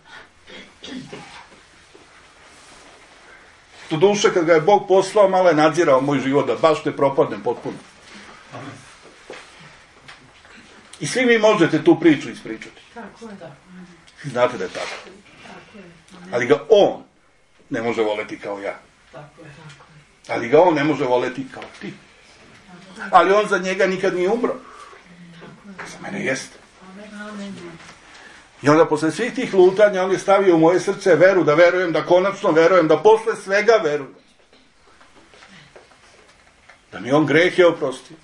To duše, kad ga je Bog poslao, malo je nadzirao moj život, da baš ne propadnem potpuno. I svi vi možete tu priču ispričati. Tako je, da. Znate da je tako. Tako je. Ali ga on ne može voleti kao ja. Tako je, tako je. Ali ga on ne može voleti kao ti. Ali on za njega nikad nije umro. Za mene jeste. Amen. I onda posle svih tih lutanja on je stavio u moje srce veru, da verujem, da konačno verujem, da posle svega verujem. Da mi on grehe oprostio.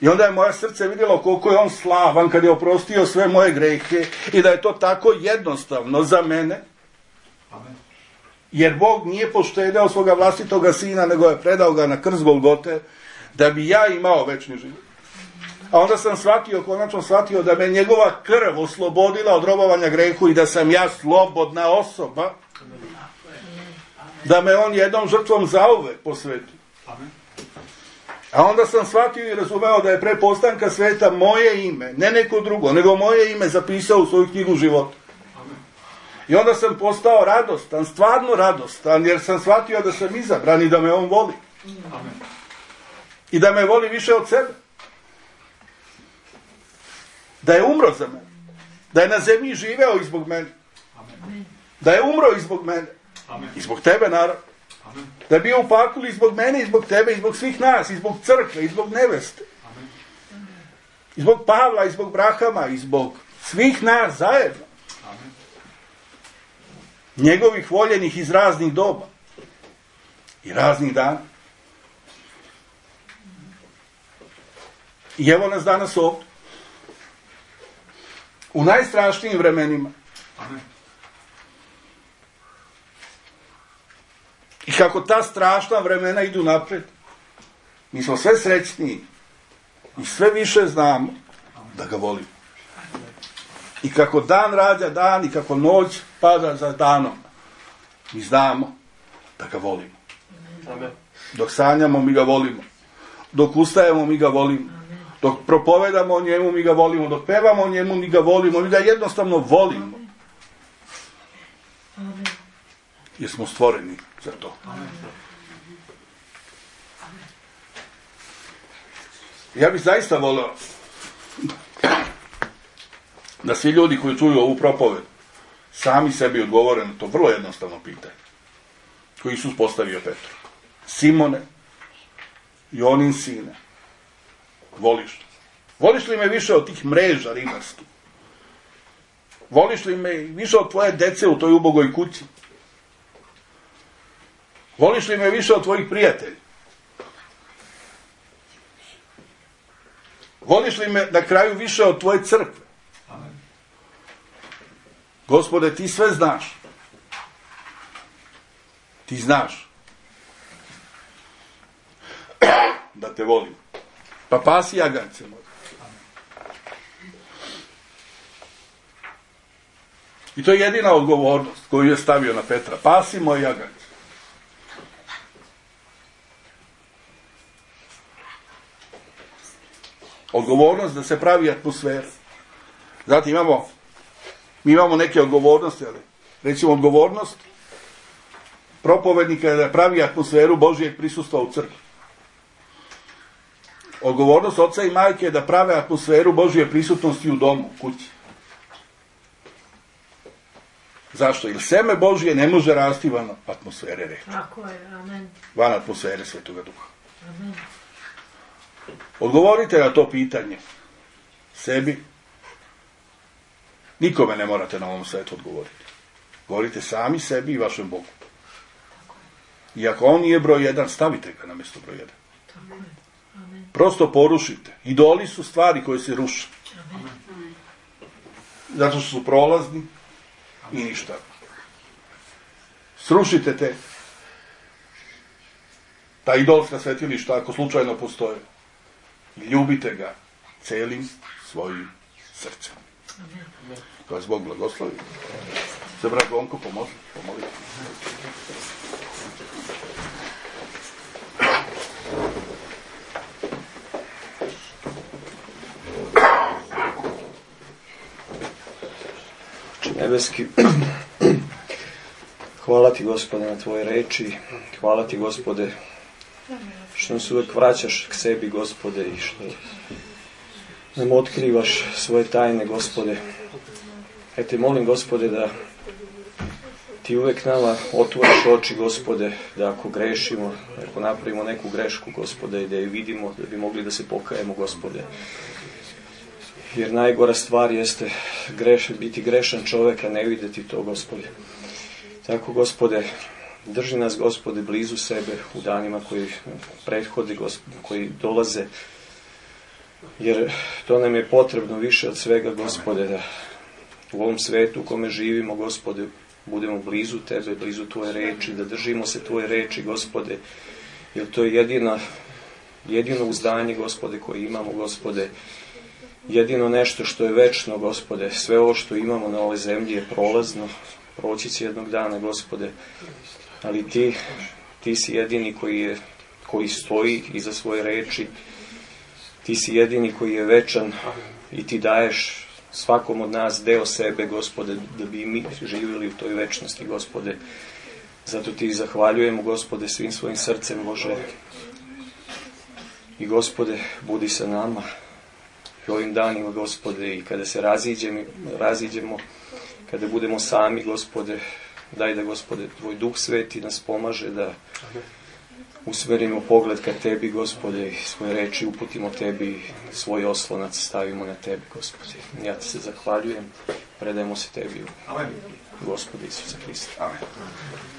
I onda je moje srce vidjelo koliko je on slavan kad je oprostio sve moje grehe i da je to tako jednostavno za mene. Amen. Jer Bog nije poštedeo svoga vlastitoga sina, nego je predao ga na krst Golgote, da bi ja imao večni život. A onda sam shvatio, konačno shvatio da me njegova krv oslobodila od robovanja grehu i da sam ja slobodna osoba, da me on jednom žrtvom zauvek posvetio. A onda sam shvatio i razumeo da je pre postanka sveta moje ime, ne neko drugo, nego moje ime zapisao u svoju knjigu života. I onda sam postao radostan, stvarno radostan, jer sam shvatio da sam izabran i da me on voli. I da me voli više od sebe. Da je umro za mene. Da je na zemlji živeo i zbog mene. Da je umro i zbog mene. I zbog tebe, naravno. Da je bio u paklu i zbog mene, i zbog tebe, i zbog svih nas, i zbog crkve, i zbog neveste. I zbog Pavla, i zbog Brahama, i zbog svih nas zajedno. Njegovih voljenih iz raznih doba. I raznih dana. I evo nas danas ovdje. U najstrašnijim vremenima. Amen. I kako ta strašna vremena idu napred, mi smo sve srećniji i sve više znamo da ga volimo. I kako dan rađa dan i kako noć pada za danom, mi znamo da ga volimo. Amen. Dok sanjamo, mi ga volimo. Dok ustajemo, mi ga volimo. Dok propovedamo o njemu, mi ga volimo. Dok pevamo o njemu, mi ga volimo. Mi ga jednostavno volimo. Jer smo stvoreni za to. Ja bih zaista voleo da svi ljudi koji čuju ovu propoved sami sebi odgovore na to vrlo jednostavno pitanje koje Isus postavio Petru. Simone, Jonin sine, voliš? Voliš li me više od tih mreža ribarskih? Voliš li me više od tvoje dece u toj ubogoj kući? Voliš li me više od tvojih prijatelja? Voliš li me na kraju više od tvoje crkve? Amen. Gospode, ti sve znaš. Ti znaš da te volim. Pa pasi jagance moje. I to je jedina odgovornost koju je stavio na Petra. Pasi moje jagance. Odgovornost da se pravi atmosfera. Znate, imamo, mi imamo neke odgovornosti, ali recimo odgovornost propovednika je da pravi atmosferu Božijeg prisustva u crkvi. Odgovornost oca i majke je da prave atmosferu Božije prisutnosti u domu, u kući. Zašto? Jer seme Božije ne može rasti van atmosfere reči. Tako je, amen. Van atmosfere Svetoga Duha. Amen. Odgovorite na to pitanje sebi. Nikome ne morate na ovom svetu odgovoriti. Govorite sami sebi i vašem Bogu. I ako on nije broj jedan, stavite ga na mjesto broj jedan. Tako je, amen. Prosto porušite. Idoli su stvari koje se ruše. Amen. Zato što su prolazni i ništa. Srušite te ta idolska svetilišta ako slučajno postoje. I ljubite ga celim svojim srcem. Amen. To vas Bog blagoslovi. Se brat Gonko pomozi, pomolite. Nebeski, hvala ti, Gospode, na tvoje reči, hvala ti, Gospode, što nas uvek vraćaš k sebi, Gospode, i što nam otkrivaš svoje tajne, Gospode. Ja te molim, Gospode, da ti uvek nama otvoriš oči, Gospode, da ako grešimo, ako napravimo neku grešku, Gospode, i da je vidimo, da bi mogli da se pokajemo, Gospode. Jer najgora stvar jeste greš, biti grešan čovjek, a ne vidjeti to, Gospode. Tako, Gospode, drži nas, Gospode, blizu sebe u danima koji prethode, Gospode, koji dolaze. Jer to nam je potrebno više od svega, Gospode, da u ovom svetu u kome živimo, Gospode, budemo blizu tebe, blizu tvoje reči, da držimo se tvoje reči, Gospode, jer to je jedina, jedino uzdanje, Gospode, koje imamo, Gospode, jedino nešto što je večno, Gospode. Sve ovo što imamo na ovoj zemlji je prolazno, proći će jednog dana, Gospode, ali ti, ti si jedini koji, je, koji stoji iza svoje reči, ti si jedini koji je večan i ti daješ svakom od nas deo sebe, Gospode, da bi mi živjeli u toj večnosti, Gospode. Zato ti zahvaljujemo, Gospode, svim svojim srcem, Bože. I, Gospode, budi sa nama i ovim danima, Gospode, i kada se raziđemo, raziđemo, kada budemo sami, Gospode, daj da, Gospode, tvoj Duh Sveti nas pomaže da usmerimo pogled ka tebi, Gospode, i svoje reči uputimo tebi, svoj oslonac stavimo na tebi, Gospode. Ja ti se zahvaljujem, predajemo se tebi u Gospode Isusa Hrista. Amen.